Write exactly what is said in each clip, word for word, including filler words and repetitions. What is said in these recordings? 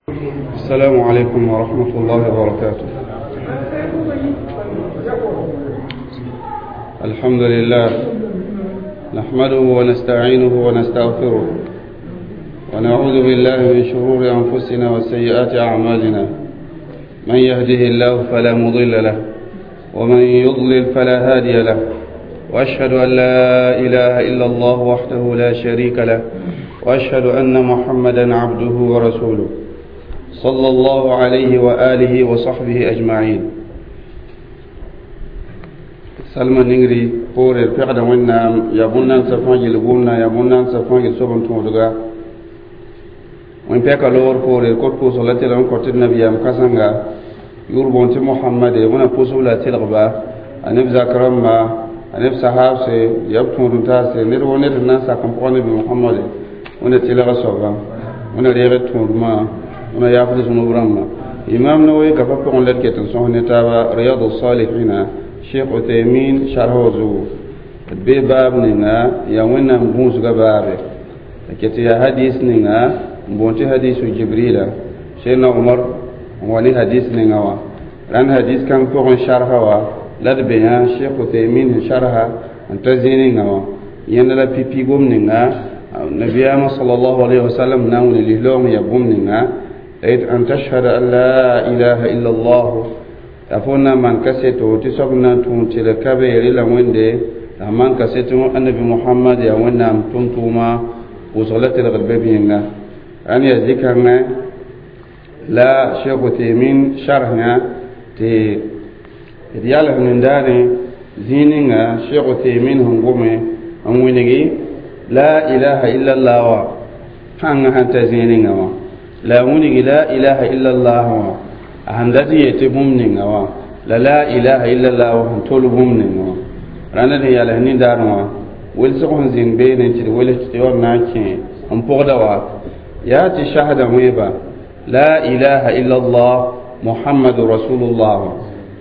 السلام عليكم ورحمة الله وبركاته. الحمد لله نحمده ونستعينه ونستغفره ونعوذ بالله من شرور أنفسنا وسيئات أعمالنا، من يهده الله فلا مضل له ومن يضلل فلا هادي له، وأشهد أن لا إله إلا الله وحده لا شريك له، وأشهد أن محمدا عبده ورسوله صلى الله عليه وآله وصحبه أجمعين. سلمى نينغري قول الفقد وإن يبونا سفان يلغونا يبونا سفان يسوبن تودغا وإن بيكا لور قول الكوت بوصلة لهم كوت النبي أم كسانغا يوربون تي محمد ونا بوصلة تلغبا أنب زكرم ما أنب صحاب سي يبتون تاسي نيرو نير الناس كم بمحمد ونا تلغ صوبا ونا ريغ تودما ونا يافد زنوب إمام نووي كفا بقون لك تنصح نتابع رياض الصالحين شيخ عثيمين شرح زو بي باب نينا يا وين بونس غبابه كتي يا حديث نينا بونتي حديث جبريل سيدنا عمر وني حديث نينا وا ران حديث كان بقون شرح وا لاد بيان شيخ عثيمين شرح انت زينينا وا ين لا بي بي غوم نينا نبي صلى الله عليه وسلم ناون لهلوم يا غوم نينا أن تشهد أن لا إله إلا الله تفونا من كسيتو تسوبنا تونتي لكبير إلا ويندي من كسيتو النبي محمد يا وينا تونتوما وصلت الغربيبينا أن يذكرنا لا شيخ تيمين شرحنا تي دياله ننداني زينينا شيخ تيمين هنقومي أموينجي لا إله إلا الله فانا هانتا زينينا لا وني لا إله إلا الله عندتي يتبهم نعوا لا لا إله إلا الله وهم طلبهم نعوا رانا دي على هني داروا ولسقهم زين بين انت ولت تيور ناكي هم بوغدوا يا تشهد ويبا لا إله إلا الله محمد رسول الله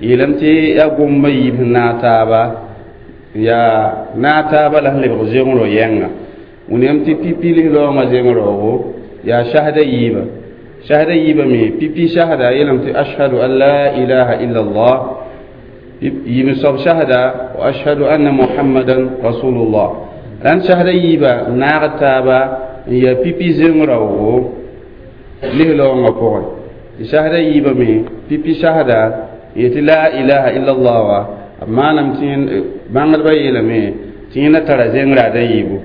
يلمتي يا قوم ناتابا يا ناتابا لهلي بغزيون رو ينغا ونمتي بي بي لو ما زين رو يا شهد يبا شهد يبا مي بي بي شهد يلمت أشهد أن لا إله إلا الله يمصب شهد وأشهد أن محمدا رسول الله لأن شهد يبا ناغتابا يا بي بي زنرو له لو مقول شهد يبا مي بي بي شهد يت لا إله إلا الله ما نمتين بانغر بيلمي تين ترى زنرا يبو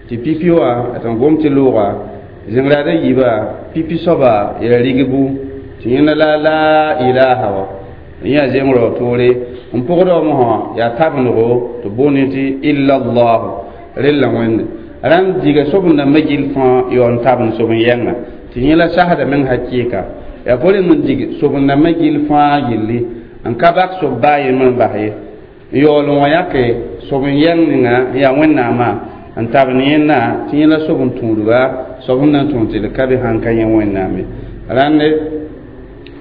تي بي بي وا أتنقوم تلوغا زنرا يبا pipi soba ya rigbu tiyina la la ilaha wa ya zemro tore mpogdo mo ya tabnugo to boniti illa allah rilla wende ran diga sobun na majil fa yon tabn sobun yenga tiyina shahada men hakika ya bole mun dig sobun na majil fa gilli an kabak so baye man baye yolo yake sobun yenga ya wenna ma an tabn yenna tiyina sobun tunduga sobun nan tun til kabi han kan yen wenname rande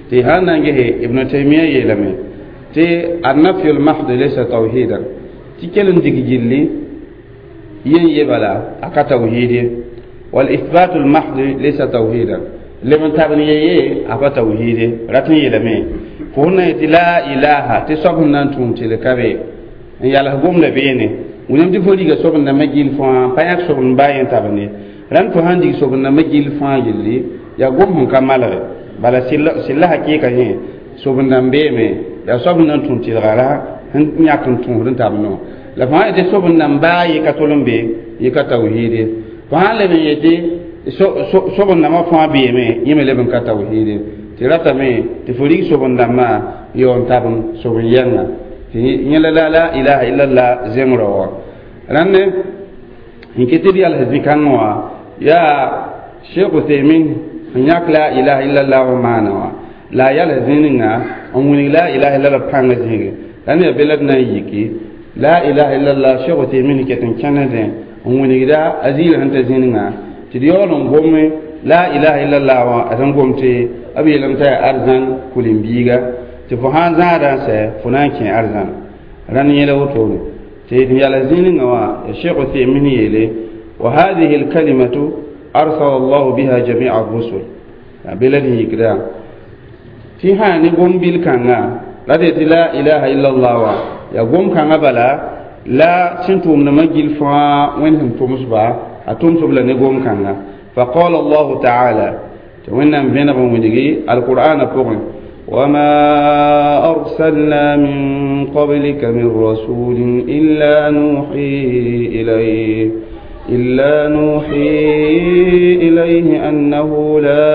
ti hanan ge ibn taymiya yelame ti an-nafy al-mahd laysa tawhidan ti kelen dig jilli yen yebala aka tawhidi wal ithbat al-mahd laysa tawhidan liman tabni ye aba tawhidi ratin yelame ko na ti la ilaha ti sobun nan tun til kabi yalla gum la bene wonem ti fodi ga sobun na magil fa payak sobun bayen tabni ran fo han dig sobna magil fa yilli ya gom hon kamalare bala silla silla hakika he sobna mbeme ya sobna tun tilgara han nyakin tun rin tabno la fa ite sobna mbayi katolombe yika tawhidi fa le ben yete so sobna ma fa beme yime le ben ka tawhidi tirata me ti fori sobna ma yon tabn sobn yanga ti nyela la la ilaha illa allah zemro ranne inkiti al hadikanwa يا شيخ ثيمين هناك لا إله إلا الله ومعنى لا يلزمنا أن لا إله إلا الله بانغ لأن بلدنا يكي لا إله إلا الله شيخ ثيمين كتن كندا أن لا أزيل أنت زيننا تديون قوم لا إله إلا الله وأتن قومتي أبي لم تأ أرزان كلهم بيجا تفهان زارا سفنان كي أرزان راني يلوتوني تيجي يلزمنا الشيخ ثيمين يلي وهذه الكلمة أرسل الله بها جميع الرسل Bela d yikda tɩ sã ne gom-bil kãnga la d yetɩ la ilaha illallah wa ya gom kãngã bala la sẽn tʋʋmdãmbã gill fãa wẽnd sẽn tʋmsba a tʋmsb la ne gom kãnga. فقال الله تعالى tɩ wẽnnaam vẽneg n wilgi alqur'ana pʋgẽ: وما أرسلنا من قبلك من رسول إلا نوحي إليه إلا نوحي إليه أنه لا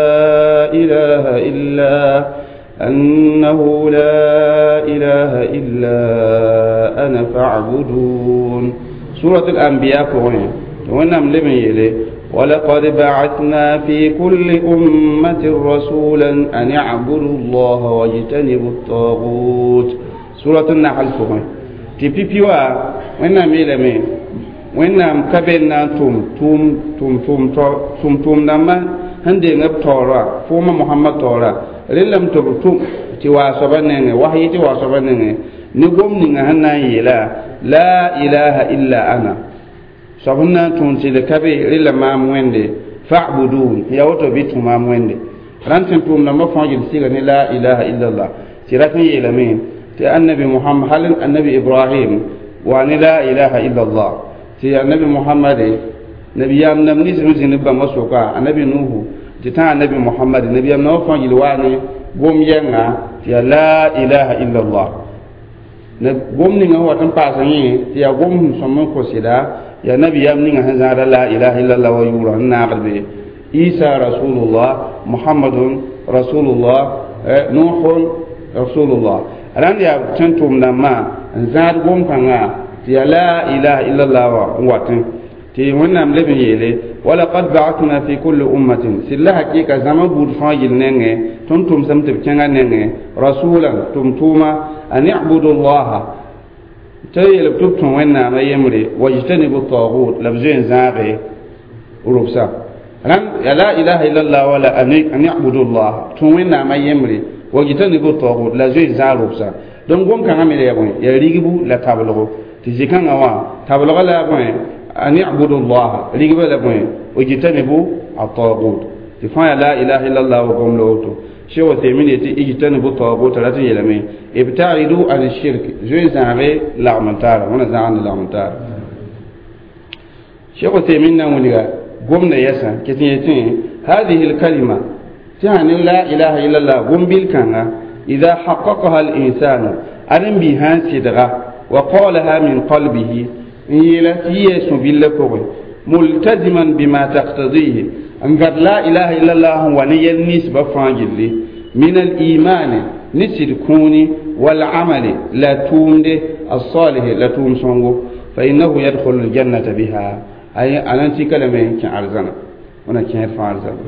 إله إلا أنه لا إله إلا أنا فاعبدون. سورة الأنبياء pʋgẽ wẽnnaam leb n yeele: ولقد بعثنا في كل أمة رسولا أن اعبدوا الله واجتنبوا الطاغوت. سورة النحل pʋgẽ tɩ pipi wa wẽnnaam yeelame wẽnnaam ka be n na n tʋm tʋʋm tʋm tʋm tʋm tʋʋm-dãmbã sẽn deng b taoora fooma Mohamad taoora rẽllame tɩ b tʋm tɩ waa soabã nengẽ wasyi tɩ waa soabã nengẽ ne gom ninga sẽn na n yeela la ilaha illa ana soab sẽn na n tõnd tɩ ka be rẽlla maam wẽnde fa'budun ya woto bɩ tũ maam wẽnde rãnd sẽn tʋʋm-dãmbã fãa gil sɩga ne la ilaha illallah tɩ rat n yeelame tɩ annabi Muhammad hal annabi Ibrahim wa ne la ilaha illallah tɩ annabi Muhammad nabiyam nam nins sẽn zĩnd b bãmba soka annabi Nuhu tɩ tã annabi Muhammad nabiyam namba fãa gil waa ne gom yɛnga tɩ yaa la ilaha illallah. Gom ninga wat n paas yẽ tɩ yaa gom sẽn sõm n kõ sɩda yaa nabiyam ninga sẽn zãada la ilaha illallah wa yʋʋra n naagd be Isa rasulullah, Muhammadun rasulullah, Nuhun rasulullah. Rãnd yaa sẽn tʋʋm-dãmbã n zãad gom kãngã tɩ yaa la ilaha illallah wa n watẽ tɩ wẽnnaam leb n yeele: walaqad ba'athna fi kulli ummatin sɩd la hakɩɩka zãma buud fãa gill nengẽ tõnd tʋmsame tɩ b kẽngã nengẽ rasulan tʋm-tʋʋma an ibudu llaha tɩ yeel tɩ b tũ wẽnnaamã yembre wajtanibu tagut la b zoe n zãage rʋbsa. Rãnd ya la ilaha illallah wala an ibudu llah tũ wẽnnaamã yembre wajtanibu tagut la zoe n zãag rʋbsa. Donc gom kãngã me la ya bõe yaa rigbu la tablgo tɩ zĩ-kãngã wã tablga la bõe an ibudu llah rigba la bõe wajtanibu atagut tɩ fãa ya la ilaha illallah wa gom la woto. Cheikh Uthaymin yetɩ ijtanibu tagut rat n yeelame ibtaidu an shirk zoe zãage lagm n taara wẽna zãag ne lagm n taara. Cheikh Uthaymin na n wilga gomda yɛsã ket n yetẽ هذه الكلمة tɩ sã ne la ilaha illallah gom-bil kãnga إذا حققها الإنسان أرن بها صدغة وقالها من قلبه n yeela tɩ yɩ sũ-billã pʋgẽ ملتزما بما تقتضيه n gad la ilaha illallah n wa ne yɛl ninsbã fãa gilli من الإيمان ne sɩd kũuni والعمل la tʋʋmde الصالح la tʋʋm sõngo فإنه يدخل الجنة بها ay a nan tika lame kẽ arzãna wẽna kẽer fãa arzãna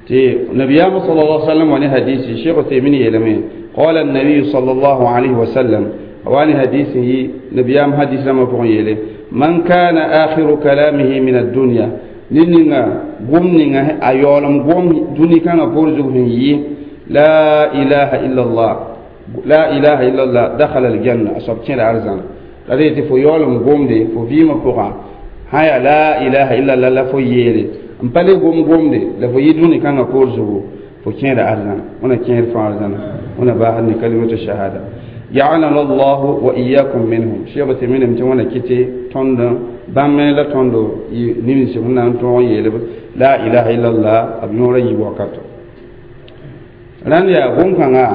tɩ nabiyaamã صلى الله عليه وسلم wa ne hadisi. Cheikh Uthaymin yeelame: قال النبي صلى الله عليه وسلم واني حديث نبيام حديث لما pʋgẽ yeele: من كان آخر كلامه من الدنيا ned ninga gom ninga a yaoolem gom dũni kãngã poor zug sẽn yɩ لا إله إلا الله لا إله إلا الله دخل الجنة a soab kẽeda arzãna. La d yetɩ fo yaoolem gomde fo vɩɩmã pʋgã sã yaa la ilaha illallah la fo yeele n pa le gom gomde la fo yɩ dũni kãngã poor zugu fo kẽeda arzãna wẽna kẽer fãa arzãna wẽna baasd ne kalimatu shahada. جعلنا الله وإياكم منهم. Cheikh Uthaymin tɩ wẽna kɩtɩ tõnd bãmb la tõndo nimsb sẽn na n tõog n yeel la ilaha illallah b yõora yiib wakato. Rãnd yaa gom-kãngã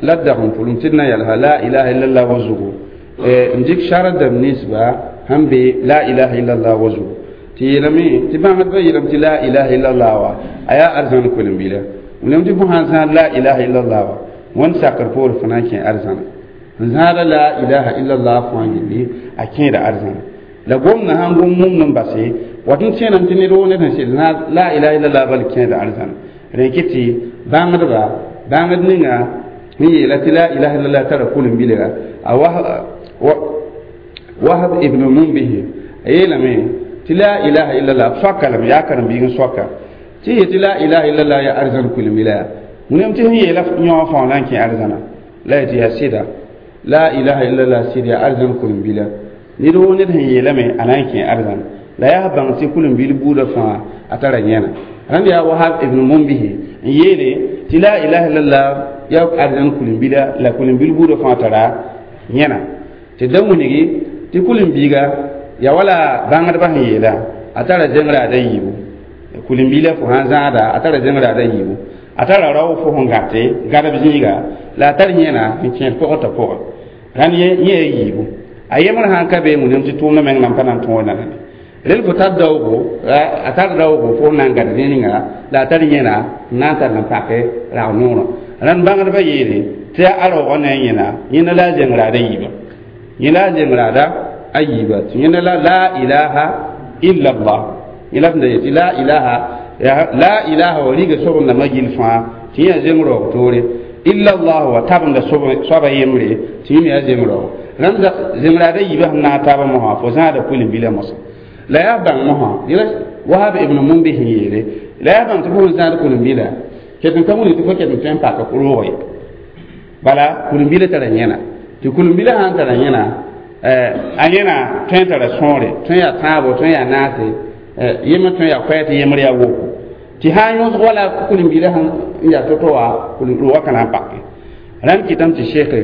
la d dag n pʋlem tɩ d na yalsa la ilaha illallah wa zugu n dɩk sardam ninsba sẽn be la ilaha illallah wa zugu tɩ yeelame tɩ bãngdbã yeelame tɩ la ilaha illallah wa a yaa arzãn kolem-bila wilame tɩ fo sãn zãad la ilaha illallah wa wẽnd sakr poor fo na n kẽ arzãna n zãada la ilaha illallah fãa gilli a kẽeda arzãna la gomdã sãn gom mumd n base wat n tẽenam tɩ ned woo ned sẽn sɩd zãad la ilaha illallah bal kẽeda arzãna rẽ kɩ tɩ bãngdba bãngd ninga sẽn yeela tɩ la ilaha illallah tara kolem-bilega a Wahab ibn Mumbihi a yeelame tɩ la ilaha illallah soaka lame yaa karen-biig n soaka tɩ yetɩ la ilaha illallah yaa arzãn kolem-bila yaa wẽnem tɩ sẽn yeela yõog fãa na n kẽ arzãna la yetɩ yaa sɩda la ilaha illallah sɩd yaa arzãn kolem-bila ned woo ned sẽn yeelame a na n kẽ arzãna la yaa bãng tɩ kolem-bil buudã fãa a tara yẽna rãnd yaa Wahab ibn Mumbihi. n yeele tɩ la ilaha illallah ya arzãn kulim-bila la kulim-bil buudã fãa tara yẽna tɩ da wilgi tɩ kulim-biiga ya wala bãngdbã sẽn yeela a tara zẽngraada yiibu kulim-biila fo sãn zãada a tara zẽngraada yiibu a tara rao fo sẽn gãte gãdb zĩiga la a tar yẽna n kẽed pʋgẽ t'a pʋgẽ rãnd yẽ yaa yiibu a yemr sãn ka be wilgame tɩ tʋʋmdã meng nan pa na n tõog nanane rel fo tar daoogo a tar daoogo fo na n gãd zĩig ninga la a tar yẽna n na n tar n pake rag noorã rãnd bãngdbã yeele tɩ a raoogã ne a yẽna yẽna la a zengraada yiiba yẽ la a zengraada a yiiba tɩ yẽna la la ilaha illa allah yẽ la sẽn da yet tɩ la ilaha la ilaha wa riga soab n dãmbã gill fãa tɩ yẽ yaa zeng raoog toore illa allah wa tabenda soaba yembre tɩ yẽ me yaa zeng raoog rãnd zengraada yiibã sẽn naag taabã mosã fo zãada kulim-bilã mosã la yaa bãng mosã yẽla wahab ibn mumbi sẽn yeele la yaa bãng tɩ fo sẽn zãad kulim-bila ket n ka wilg tɩ fo ket n tõe n pak roog ye bala kulim-bila tara yẽna tɩ kulim-bila sãn tara yẽna a yẽna tõe n tara sõore tõe yaa tãabo tõe yaa naase yembr tõe yaa koɛɛ tɩ yembr yaa woko tɩ sã n yõsg wala kulim-bila sẽn yaa to-to wã roogã ka na n pake rãmb kɩtame tɩ seke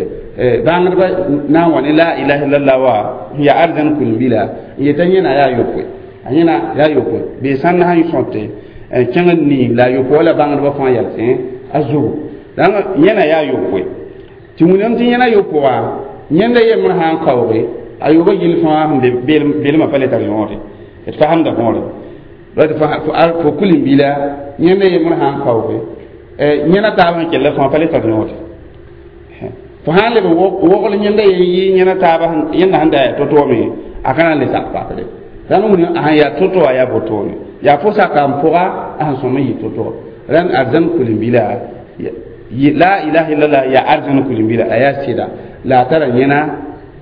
bãngdbã na n wa ne la ilaha illallah wa n yaa arzãn kulim-bila n yetã yẽna yaa yopoe a yẽna yaa yopoe bee sãnd sãn sõte kẽng n niig la a yopoe wala bãngdbã fãa yalsẽ a zugu dãng yẽna yaa yopoe tɩ wilgame tɩ yẽna yopo wã yẽnda yembr sã n kaooge a yoobã gill fãa sẽn be belmã pa le tar yõode d fasemda võore fo kulim-bila yẽnda yembr sã n kaooge yẽna taab sẽn kell fãa pa le tar yõode fo sã n leb n wogl yẽnda yen yɩ yẽna taaba yẽnda sẽn da yaa to-to me a ka na n le sak pakre rãnd wilg a sẽn yaa to-to wã yaa botone yaa fo saka n pʋga a sẽn sõm n yɩ to-to rãnd arzãn kulim-bila la ilaha illallah yaa arzãn kulim-bila a yaa sɩda la a tara yẽna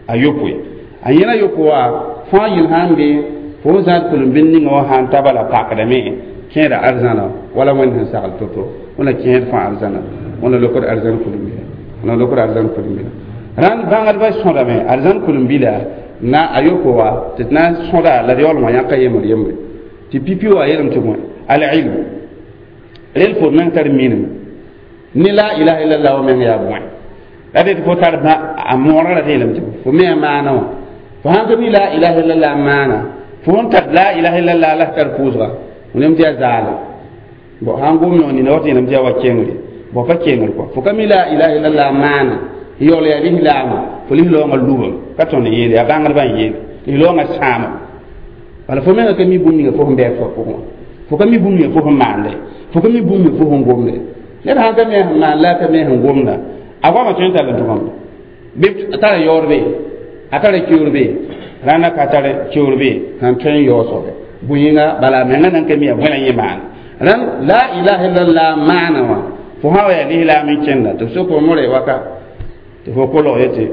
a yopoe a yẽna yopo wã fãa yel sãn be fo n zãad kulim-bil ninga wã sãn ta bala pakdame kẽeda arzãna wala wẽnd sẽn sagl to-to wẽna kẽed fãa arzãna wẽna lokd arzãn kulim-bila wẽna lokd arzãn kulim-bila rãnd bãngdbã sõdame arzãn kulim-bila na a yopo wã tɩ d na n sõda la d yaool wã yãka yembr yembre tɩ pipi wã yeelame tɩ bõe al-ilm rel fo meng tar minim ne la ilaha illallah wa meng yaa bõe la tɩ fo tar a moorã ra yeelame tɩ fo me a maana wã fo sãn ka mi la ilaha illallah maana fo n tar la ilaha illallah la tar pʋʋsga wilgame tɩ yaa zaala bon sãn gom yõ nina wat yeelame tɩ yaa wa kengre bõ pa kengr kɔa fo ka mi la ilaha illallah maana yaool yaa lislaama fo lislaoongã lubem ka tõnd yeele yaa bãngdbã n yeele lislaoongã sãama bala fo menga ka mi bũmb ninga fo sẽn bɛɛd fo pʋgẽ wã fo ka mi bũmb ninga fo sẽn maande fo ka mi bũmb ninga fo sẽn gomde ned sãn ka mi a sẽn maan la a ka mi a sẽn gomda a goamã tõe n tall n tʋgame bɩ a tara yaoor be a tara keoor be rãnda ka tar keoor be sẽn tõe n yaoog soabe bõe-yĩnga bala a menga nan ka mi a bõe la yẽ maana rãnd la ilaha illallah maana wã fo sã wa yaa lislaam n kẽnda tɩ b sok fo waka tɩ fo kolg yetɩ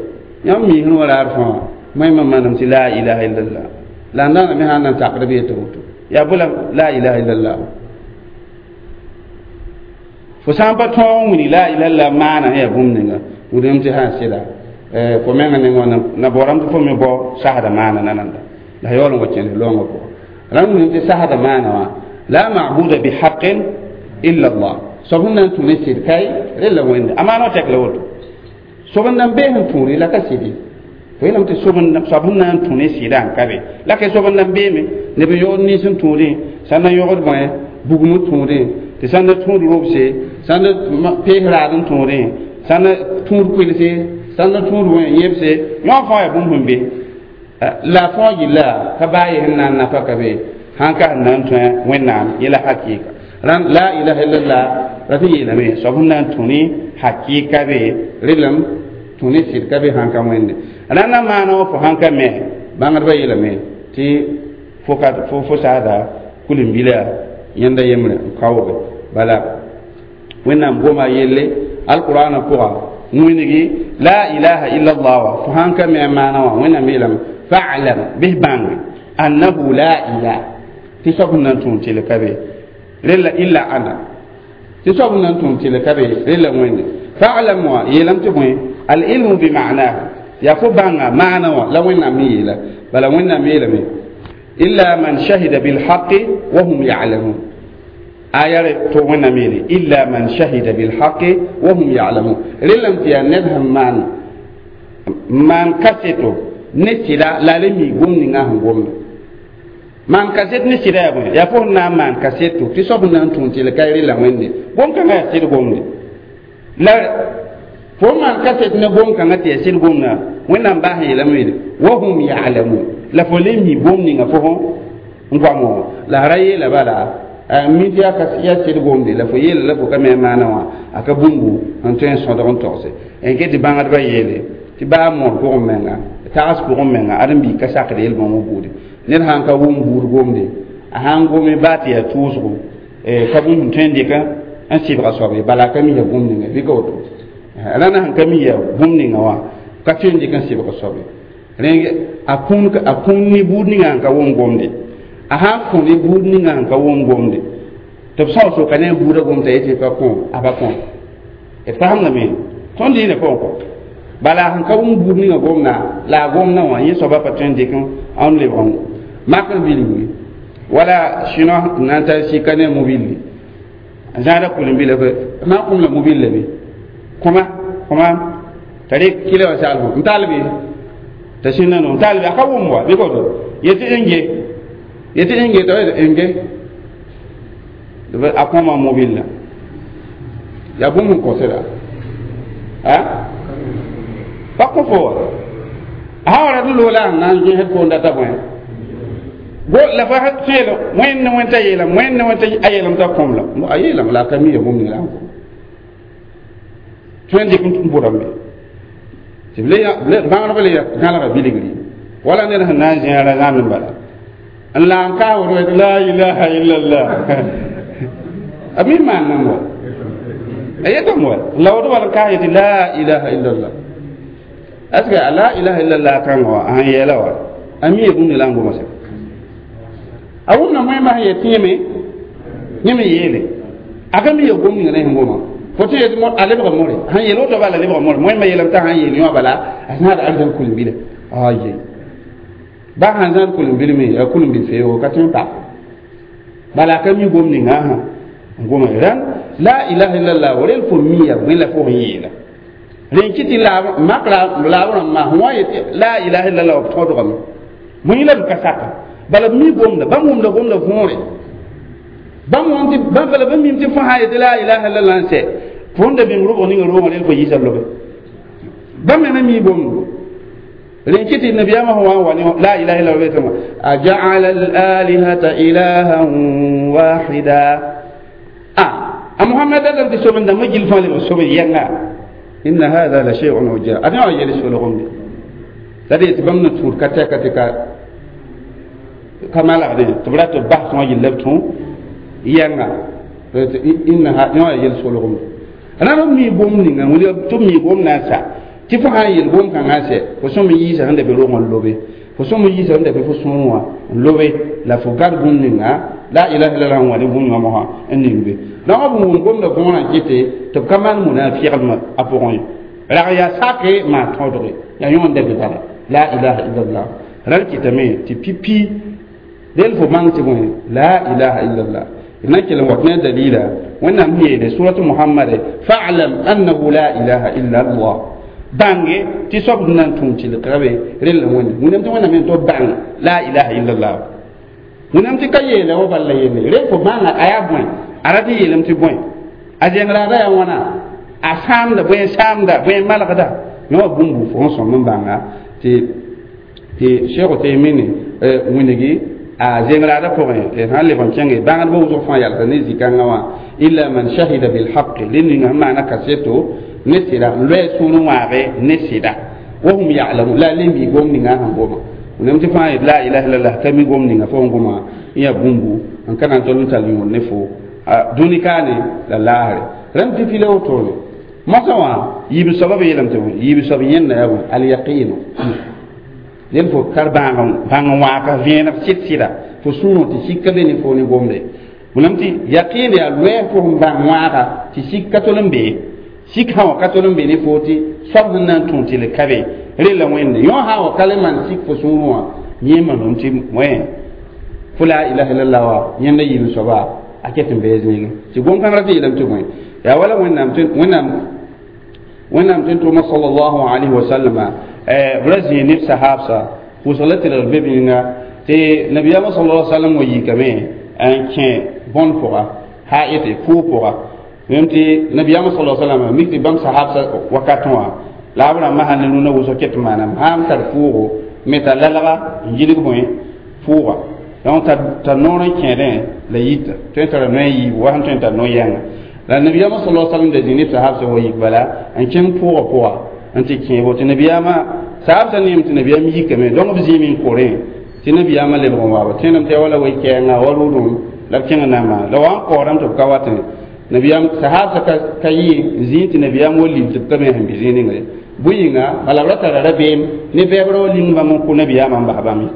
yãmb miisẽ wa raar fãa moẽmã manam tɩ la ilaha illallah la n dãana me sãn na n takd b yetɩ woto yaa bõe la la ilaha illallah fo sã n pa tõog n wilg la ilaha illallah maana sẽn yaa bũmb ninga wilgame tɩ sã n sɩda fo menga neng wã na baoorame tɩ fo me bao sasda maana nananda la yaool n wa kẽnd loongã pʋgã rãnd wilgame tɩ sasda maana wã la mabuda bihaqin illa allah soab sẽn na n tũ ne sɩd kae rella wẽnde a maana wã tɛk la woto soab n nan bee sẽn tũure la ka sɩde fo yeelame tɩ soab sẽn na n tũ ne sɩdã n ka be la ka soab n nan beeme neb n yogd nins n tũudẽ sãn na yogd bõe bugum n tũudẽ tɩ sãn na tũud robse sãn na pees raad n tũudẽ sãn na tũud kʋɩlse sãn na tũud bõe yẽbse yõ fãa yaa bũmb sẽn be la fãa yilla ka baa ye sẽn na n nafa ka be sãn ka sẽn na n tõe wẽnnaam yẽla hakɩɩka rãnd la ilaha illallah rat n yeelame soab sẽn na n tũ ne hakɩɩka be relem tũ ne sɩd ka be sãn ka wẽnde rãndã maana wã fo sãn ka me bãngdbã yeelame tɩ fo ka fo fo saasda kulim-bila yẽnda yembre n kaooge bala wẽnnaam goma yelle alqurana pʋga wĩngi la ilaha illa allah wa fo sãn ka me a maana wã wẽnnaam yeelame fa'lam bɩs bãnge annahu la ilaha tɩ soab sẽn na n tũud tɩl ka be rella illa ana tɩ soab sẽn na n tũud tɩl ka be rella wẽnde fa'lam wã yeelame tɩ bõe al ilmu bima'nahu yaa fo bãnga maana wã la wẽnnaam me yeela bala wẽnnaam yeelame illa man shahida bilhaqi wa hum ya'lamun Aya to wẽnnaam yeele illa man shahida bilhaqi wa hum ya'lamun. Rẽlame tɩ yaa ned sẽn maan maan kaseto ne sɩda la a le mi gom ninga sẽn gomda maan kaset ne sɩda yaa bõe yaa fo sẽn na n maan kaseto tɩ soab sẽn na n tũun tɩ ka rela wẽnde gom-kãngã yaa sɩd gomde la fo maan kaset ne gom-kãngã tɩ yaa sɩd gomda wẽnnaam baas yeelame yeele wa hum ya'lamun la fo le mi gom ninga fo n goam wã la ra yeela bala mi tɩ yaa sɩd gomde la fo yeela la fo ka me a maana wã a ka bũmbu n tõe n sõdg n togse n ket tɩ bãngdbã yeele tɩ baa moor pʋgẽ menga tags pʋgẽ menga ãdem-biig ka sakd yel-bãmb buude ned sãn ka wʋm buud gomde a sãn gome baa tɩ yaa tʋʋsgo ka bũmb sẽn tõe n dɩka n sɩbga soab ye bala a ka mi yaa bũmb ninga bɩ ka woto rãna sẽn ka mi yaa bũmb ninga wã ka tõe n dɩk n sɩbga soab ye rẽng a kũun a kũun ne buud ninga sẽn ka wʋm gomde a sãn kõ ne buud ninga sẽn ka wʋm gomde tɩ b sao soka ne a buudã gom t'a yetɩ pa kõ a pa kõ d fasemdame tõnd dɩɩnã pʋgẽ kɔ bala sẽn ka wʋm buud ninga gomda la a gomdã wã yẽ soaba pa tõe n dɩk n lebg makr bilgi wala chinois nan ta sika ne mobile zãada kʋlem-bila ma kʋm la mobile la be kõma kõma t'a rɩk kɩla wã sagl n tall be t'a sẽnda no n tall be a ka wʋm wa bɩ koto yetɩ n ge yetɩ n ge t'a n ge a kõma mobile la yaa bũmb n kõseda a pa kõ fo wa a sã wa rat n loola sẽn na n gẽsd foon data bõe go la fa sẽel wẽnd ne wẽn t'a yeelame wẽnd ne wẽn t'a a yeelame t'a kõm la a yeelame la a ka mi ya bũmb ning la n kõ tõe n dɩk n bʋdame tɩ bãngdb le gãlga bilgri wala ned sẽn na n zẽa ra zãmb n bala n la n kaas woto la ilaha illallah a mi maan nan wa a yetame wa la woto bala n kaas yetɩ la ilaha illallah est ce que a la ilaha illallah kãngã wa a sẽn yɛɛla wa a mi ya bũmb la n goma sɛ a wʋmda moẽmã sẽn yet tɩ yẽme yẽme yeele a ka mi ya gom ninga ne sẽn goma fo tɩ yetɩ a lebga more sẽn yeel woto bala lebga more moẽmã yeelame t'a sãn yeel yõ bala a zãada arzãn kʋlem-bila aye ba sãn zãad kʋlem-bil me yaa kʋlem-bil feoogo ka tõe n pak bala a ka mi gom ninga sã n goma rãn la ilaha illallah rel fo mi ya bõe la fo sẽn yeela rẽn kɩ tɩ makra laab rãmbã sẽn wa yetɩ la ilaha illallah b tõdgame bõe la b ka saka bala b mi gomda bãmb wʋmda gomda võore bãmb wõm tɩ bala bãmb mim tɩ fo sã yetɩ la ilaha illallah n sɛ fo n da bĩng rʋbg ninga roogã rel fo yiisa lobe bãmb me mi gomdo rẽn kɩ tɩ nabiyaamã sẽn wa n wa ne la ilaha illallah betã aja'ala al-alihata ilahan wahida a a muhammad datame tɩ sob n dãmbã gill fãa lebg sob yɛnga inna hadha la shay'un ujab a wã yel solgem la d yetɩ bãmb na tũud ka tɛka tɩ ka ka malgdẽ tɩ b rat b bas wã yella b tũ yɛnga inna yõ yaa yel solgem rãmb b mi gom ninga tɩ b mi gom na n sa tɩ fo sã n yel gom-kãngã n sɛ fo sõm n yiisa sẽn da be rogã n lobe fo sõm n yiisa sẽn da be fo sũur wã n lobe la fo gad bũmb ninga la ilaha illallah n wa ne bũmb yõmsã n ning be donc b wʋm gomda võorã kɩte tɩ b ka maan munafiqdmã a pʋgẽ ye rag yaa sake maa tõodge yaa yõ n da be bala la ilaha illallah rãn kɩtame tɩ pipi del fo bãng tɩ bõe la ilaha illallah na kell n wat ne a dalila wẽnnaam sẽn yeele suratu muhammade fa'lam annahu la ilaha illa allah bãnge tɩ soab sẽn na n tũum tɩlgra be rell wẽnde wẽnnaam tɩ wẽnnaam tɩ b bãng la ilaha illallah wẽnnaam tɩ ka yeela wa bala yelle rel fo bãnga a yaa bõe a rat n yeelame tɩ bõe a zẽng-raada yaa wãna a sãamda bõe n saamda bõe n malgda yõ wa bũmbu fo sẽn sõm n bãnga tɩ tɩ cheikh Uteymini wĩnigi a zẽng-raadã pʋgẽ sãn leb n kẽnge bãngdbã wʋsg fãa yalsa ne zĩ-kãngã wã illa man shahida bilhaqi rẽ ninga sẽn maana kaseto ne sɩda n loɛ sũur n wãage ne sɩda wa hum ya'lamun la le mi gom ninga sẽn goma wẽnnaam tɩ fãa yet la ilaha illallah ka mi gom ninga fo sẽn goma n yaa bũmbu n ka na n tol n tall yõor ne fo dũni kaane la laasre rãmb pipi la wotone mosã wã yiib soabã b yeelame tɩ yiib soab yẽnda yaa bõe alyaqinu del fo tar bãag bãng n waaka vẽeneg sɩd sɩda fo sũurẽ tɩ sika be ne fo ne gomde wẽnnaam tɩ yaqɩɩn yaa loɛɛ fo sẽn bãng wãaga tɩ sik ka tol n be sik sã wã ka tol n be ne fo tɩ soab sẽn na n tũ tɩ le ka be rella wẽnde yõ sã wa ka le maan sik fo sũurẽ wã yẽ manom tɩ wẽ fo la ilaha illallah wa yẽnda yiib soaba a ket n bee zĩigẽ tɩ gom-kãngã tɩ yeelame tɩ bõe yaa wala wẽnnaam wẽnnaam wẽnnaam tɩ tʋʋma sallallahu alayhi wa sallam b ra zĩig neb sahaabsa pʋʋsg la tɩrg be yĩnga tɩ nabiyaamã sallallahu alayhi wa sallam wa yikame n kẽ bõn pʋga haɩte pʋʋg pʋga yẽm tɩ nabiyaamã sallallahu alayhi wa sallam mik tɩ bãmb sahaabsa wakatẽ wã la b rãmbã sãn ne rũnã wʋsg ket n maaname sãn tar pʋʋgo me t'a lalga n yilg bõe pʋʋga donc t'a noor n kẽedẽ la yita tõe n tara noe yiibu wa sẽn tõe n tar no-yɛnga la nabiyaamã sallallahu alayhi wa sallam da zĩ neb sahaabsã wa yik bala n kẽng pʋʋgã pʋga n tɩ kẽebo tɩ nabiyaamã sahaabsã neem tɩ nabiyaam yikame donc b zĩime n korẽ tɩ nabiyaamã lebg n waaba tẽedame tɩ ya wala wei-kɛɛnga wa rʋʋdem la b kẽng n na n maana la wa n kaoodame tɩ b ka watẽ nabiyaam sahaabsã ka yɩ n zĩig tɩ nabiyaam wa lil tɩ b ka me sẽn be zĩig ninga ye bõe yĩnga bala b ra tara rabeem ne bɛɛbrã wa ling bãmb n kʋ nabiyaamã n bas bãmb ye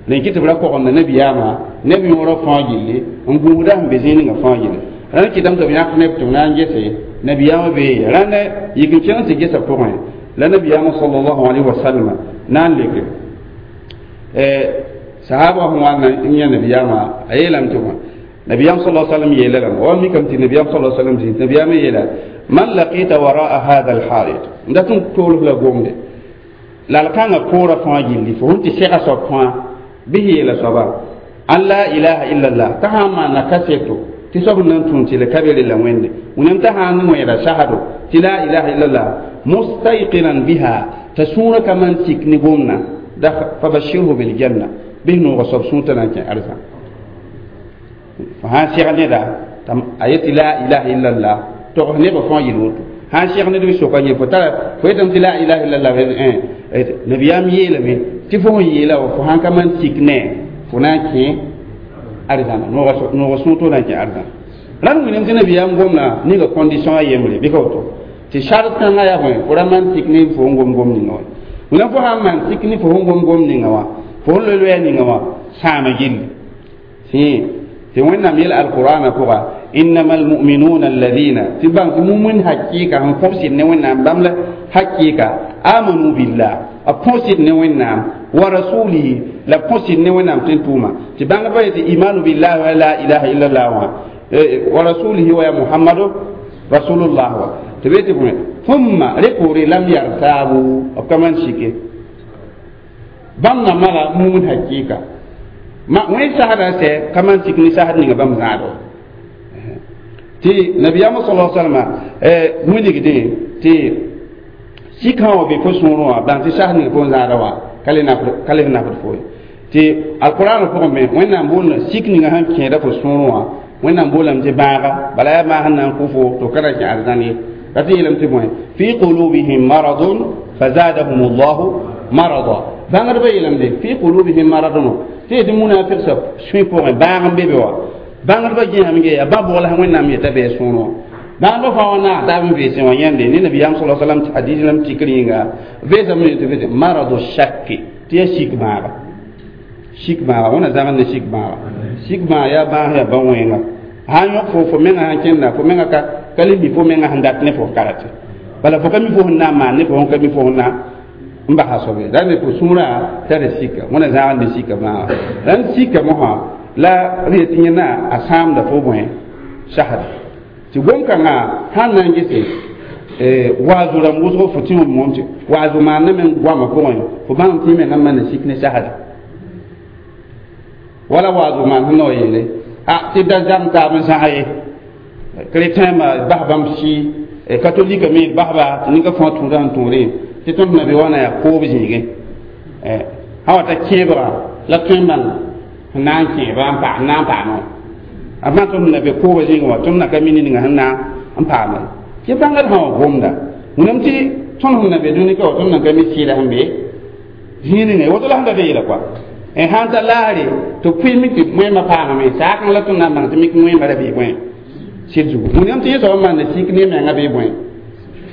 la yẽ kɩ tɩ b ra kogenda nabiyaamã neb yõorã fãa gilli n gũusda sẽn be zĩig ninga fãa gilli rãnd kɩtame tɩ b yãk neb tɩ b na n gese nabiyaamã bee rãnd yik n kẽng tɩ gesa pʋgẽ la nabiyaamã sallallahu alayhi wa sallam na n leke sahaba sẽn wa n yã nabiyaamã a yeelame tɩ bõe nabiyaam sallallahu alayhi wa sallam yeela lame wa mikame tɩ nabiyaam sallallahu alayhi wa sallam zĩig nabiyaamã yeela man laqita waraa hadha alhaid n dat n toolf la gomde lal-kãngã poorã fãa gilli fo sẽn tɩ sɛga soab fãa bɩ yeela soaba an la ilaha illallah t'a sã n maana kaseto tɩ soab n na n tũud tɩ la ka be rella wẽnde wẽnnaam t'a sã n wẽeda sahado tɩ la ilaha illallah mustayqinan biha t'a sũurã ka man sik ne gomna da fabashirhu biljanna bɩ noogã soab sũur t'a na n kẽ arzã fo sã n sɛg neda a yetɩ la ilaha illallah togs nebã fãa yel woto sã n sɛg ned bɩ soka yẽ fo tara fo yetame tɩ la ilaha illallah nabiyaam yeelame tɩ fo sẽn yeela wa fo sãn ka man sik ne fo na n kẽ arzãna noogã sũur tɩ fo na n kẽ arzãna rãnd wĩnam tɩ nabiyaam gomna ninga condition a yembre bɩ ka woto tɩ sart kãngã yaa bõe fo ra man sik ne fo n gom gom ninga wã wẽnnaam fo sãn maan sik ne fo sẽn gom gom ninga wã fo sẽn loe loɛɛ ninga wã sãama gilli tɩ tɩ wẽnnaam yel alqur'ana pʋga innama almuminuna alladina tɩ bãng tɩ mumin hakɩɩka sẽn põsd ne wẽnnaam bãmb la hakɩɩka amanu billah b põsd ne wẽnnaam wa rasulihi la põsd ne wẽnnaam tɩ n tʋʋma tɩ bãngdbã yetɩ imanu billahi wa la ilaha illallah wã wa rasulihi wa ya muhammadu rasulullah wa tɩ be tɩ bõe thumma rẽ poore lam yartaabu b ka man sike bãmb na mala mumin hakɩɩka ma wẽn sasda sɛ ka man sik ne sasd ninga bãmb zãad wa tɩ nabiyaamã sala salama wilgdẽ tɩ sik sã wã be fo sũurẽ wã bãng tɩ sas ninga fo n zãada wã ka le nafd fo ye tɩ alqur'an pʋgẽ me wẽnnaam boolda sik ninga sẽn kẽeda fo sũurẽ wã wẽnnaam boolame tɩ bãaga bala yaa bãag sẽn na n kʋ fo tɩ f ka ra kẽ arzãn ye la tɩ yeelame tɩ bõe fi qulubihim maradun fazadahum llahu marada bãngdbã yeelame fi qulubihim maradun tɩ yetɩ munafigsã sũy pʋgẽ bãag n be be wa bãngdbã gẽesame ge yaa bã-bʋgl sã wẽnnaam yeta bɩ sũurẽ wã bãngdbã fãa wã naag taab n veesẽ wã yãnde ne nabiyaam sa salam tɩ hadis lam tikr yĩnga veesame tɩ veese maradu shakki tɩ yaa sik bãaga sik bãaga wẽna zãmb ne sik bãaga sik bãag yaa bãas yaa bã-wẽnga sã n yõk fo fo menga sãn kẽnda fo menga ka ka le mi fo menga sẽn dat ne fo karate bala fo ka mi fo sẽn na n maan ne fo sẽn ka mi fo sẽn na n basa soabe la ne fo sũurã tara sika wẽna zãgd ne sika bãaga rãnd sika mosã la b yetɩ yẽna a sãamda fo bõe sasda tɩ gom-kãngã sãn na n gese waazu rãmb wʋsg fo tĩ wʋm tɩ waazu maanda me goamã pʋgẽ fo bãng tɩ mengã maana sik ne sasda wala waazu maan sẽn na wa yeele a tɩ da zãm taab n zãg ye chrétien ma bas bãmb sɩ catholique me basba tɩ ninga fãa tũudã sẽn tũudẽ tɩ tõnd na be wã na yaa koob zĩigẽ sã wa ta kẽebga la tõe n bãng sẽn na n kẽeba n paam na n paame a bãng tõnd na be koobã zĩigẽ wã tõnd na ka mi ninga sẽn na n paame tɩ bãngd sã wã gomda wẽnnaam tɩ tõnd sẽn na be dũni ka wã tõnd na ka mi sɩɩda sẽn be zĩig ninga woto la sẽn da be yeela koa n sãn ta laasre tɩ pʋɩ mik tɩ wẽmã paamame saak la tõnd na n bãng tɩ mik wẽmã ra bee bõe sɩd zugu wẽnnaam tɩ yẽ soab n maanda sik ne menga bee bõe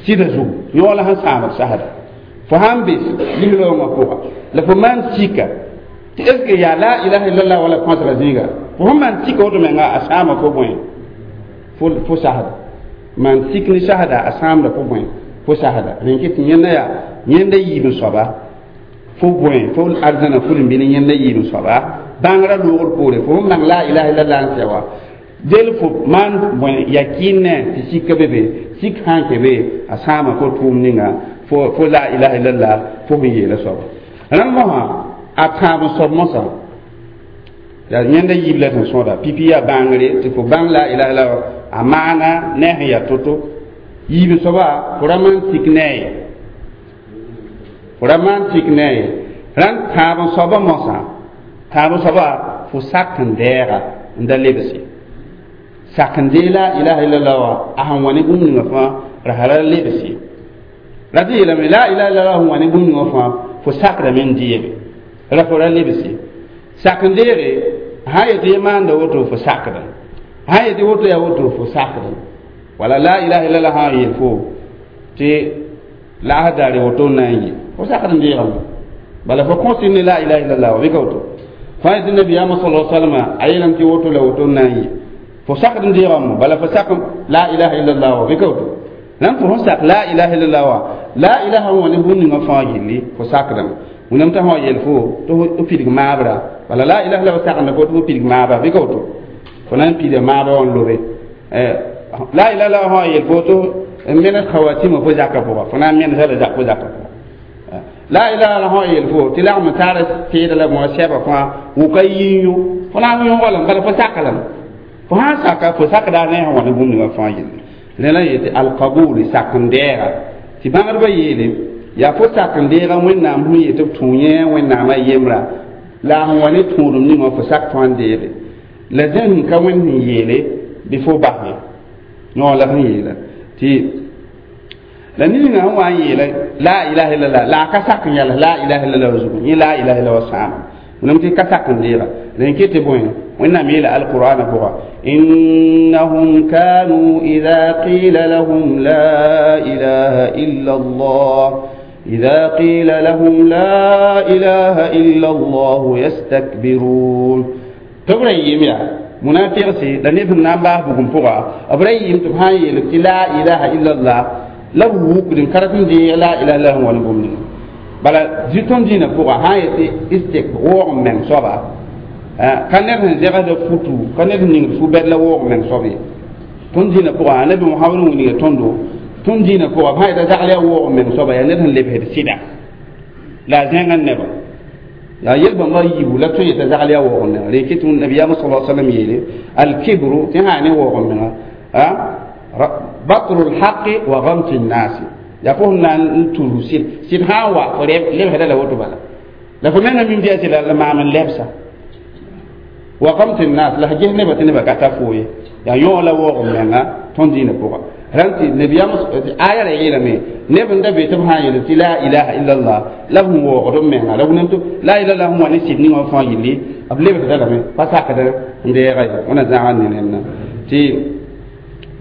sɩda zugu yõog la sẽn sãamd sasda fo sãn be lis-raoongã pʋga la fo maan sika tɩ est ce que yaa la ilaha illallah wala põsga zĩiga fo sẽn maan sika woto menga a sãama fo bõe fo fo sasda maan sik ne sasda a sãamda fo bõe fo sasda rẽn kɩ tɩ yẽnda yaa yẽnda yiib n soaba fo bõe fo arzãna ful n bɩ ne yẽnda yiib n soaba bãngrã loogr poore fo sẽn bãng la ilaha illallah n sɛ wa del fo maan bõe yakɩɩn tɩ sika be be sik sã n kẽ be a sãama fo tʋʋm ninga fo fo la ilaha illallah fo sẽn yeela soaba rãnd mosã a tãab n soab mosã yaa yẽnda yiib la tɩ n sõda pipi yaa bãngre tɩ fo bãng la ilaha illallah a maana ne a sẽn yaa to-to yiib n soaba fo ra maan tik ne a ye fo ra maan tik ne a ye rãnd tãab n soaba mosã tãab n soaba fo sak n dɛɛga n da lebs ye sak n dee la ilaha illallah wa a sẽn wa ne bũmb ninga fãa ra ra lebs ye ra tɩ yeelame la ilaha illallah sẽn wa ne bũmb ninga fãa fo sakdame n deege ra fo ra lebs ye sak n deege sã n yetɩ ye maanda woto fo sakda sã n yetɩ woto yaa woto fo sakda wala la ilaha illallah sã n yeel fo tɩ laas daare woto n na n yɩ fo sakd n deegame bala fo kõs ne la ilaha illallah wa bɩ ka woto fãa yetɩ nabiyaamã sala salama a yeelame tɩ woto la woto n na n yɩ fo sakd n deegame bala fo sak la ilaha illallah wa bɩ ka woto rãmb fo sẽn sak la ilaha illallah wa la ilaha wã ne bũmb ninga fãa gilli fo sakdame wẽnnaam t'a sã yel fo tɩ f pidg maabra bala la ilaha illallah sakenda fo tɩ fo pidg maaba bɩ ka woto fo na n pida maaba wã n lobe la ilaha illallah sã yel fo tɩ n menes khawatima fo zaka pʋga fo na n menesa la fo zaka pʋga la ilaha illallah sã yel fo tɩ lagm taara teeda la bõa sɛba fãa wʋka yĩn-yõ fo na n yõgelem bala fo sak lame fo sã n saka fo sakda ne sẽn wa ne bũmb ninga fãa yelle rẽ la yetɩ alkabul sak n dɛɛga tɩ bãngdbã yeele yaa fo sak n deega wẽnnaam sẽn yetɩ b tũ yẽ wẽnnaamã yembra la a sẽn wa ne tũudum ninga fo sak tõa n deege la zẽn ka wẽnd sẽn yeele bɩ fo bas ye no la sẽn yeela tɩ la ninga sẽn wa n yeela la ilaha illallah la a ka sak n yals la ilaha illallah zugu yẽ la ilaha illallah sãama wẽnnaam tɩ ka sak n deega rẽn ket tɩ bõe wẽnnaam yeela alqur'ana pʋga innahum kanu ida qila lahum la ilaha illa allah إذا قيل لهم لا إله إلا الله يستكبرون تبرا يميا منافق سي لا نيب نام با بوغم بوغا أبرا يم تبهان يلك لا إله إلا الله لا ووك دين كرتن دي لا إله إلا هو نبوم بلا زيتون دينا بوغا ها يتي استك ووغ من صبا كان نبن زيغا دو فوتو كان نبن نيغ فو بد لا ووغ من صبي تون دينا بوغا نبي محمد وني توندو tõnd dĩinã pʋga b sã yeta zagl yaa woog meng soaba yaa ned sẽn lebsd sɩda la a zẽngã neba yaa yel-bãmba yiibu la tõe yeta zagl yaa woog menga rẽ kɩ tɩ nabiyaamã sala salam yeele alkibru tɩ sã ne woog menga batru lhaqi wa gamti nnasi yaa fo sẽn na n tudu sɩd sɩd sã n wa fo lebsda la woto bala la fo menga mim tɩ yaa sɩda la maam n lebsa wa gamti nnas la ges neba tɩ neba ka ta fo ye yaa yõog la woog menga tõnd dĩinã pʋga rãn tɩ nabiyaam aya ra yeelame neb n da be tɩ b sã n yeel tɩ la ilaha illallah la b sẽn waoogd b menga la wẽnnaam tɩ la ilaha illallah sẽn wa ne sɩd ninga fãa yilli b lebsda lame pa sakd n deega ye wẽna zãga ne rẽnda tɩ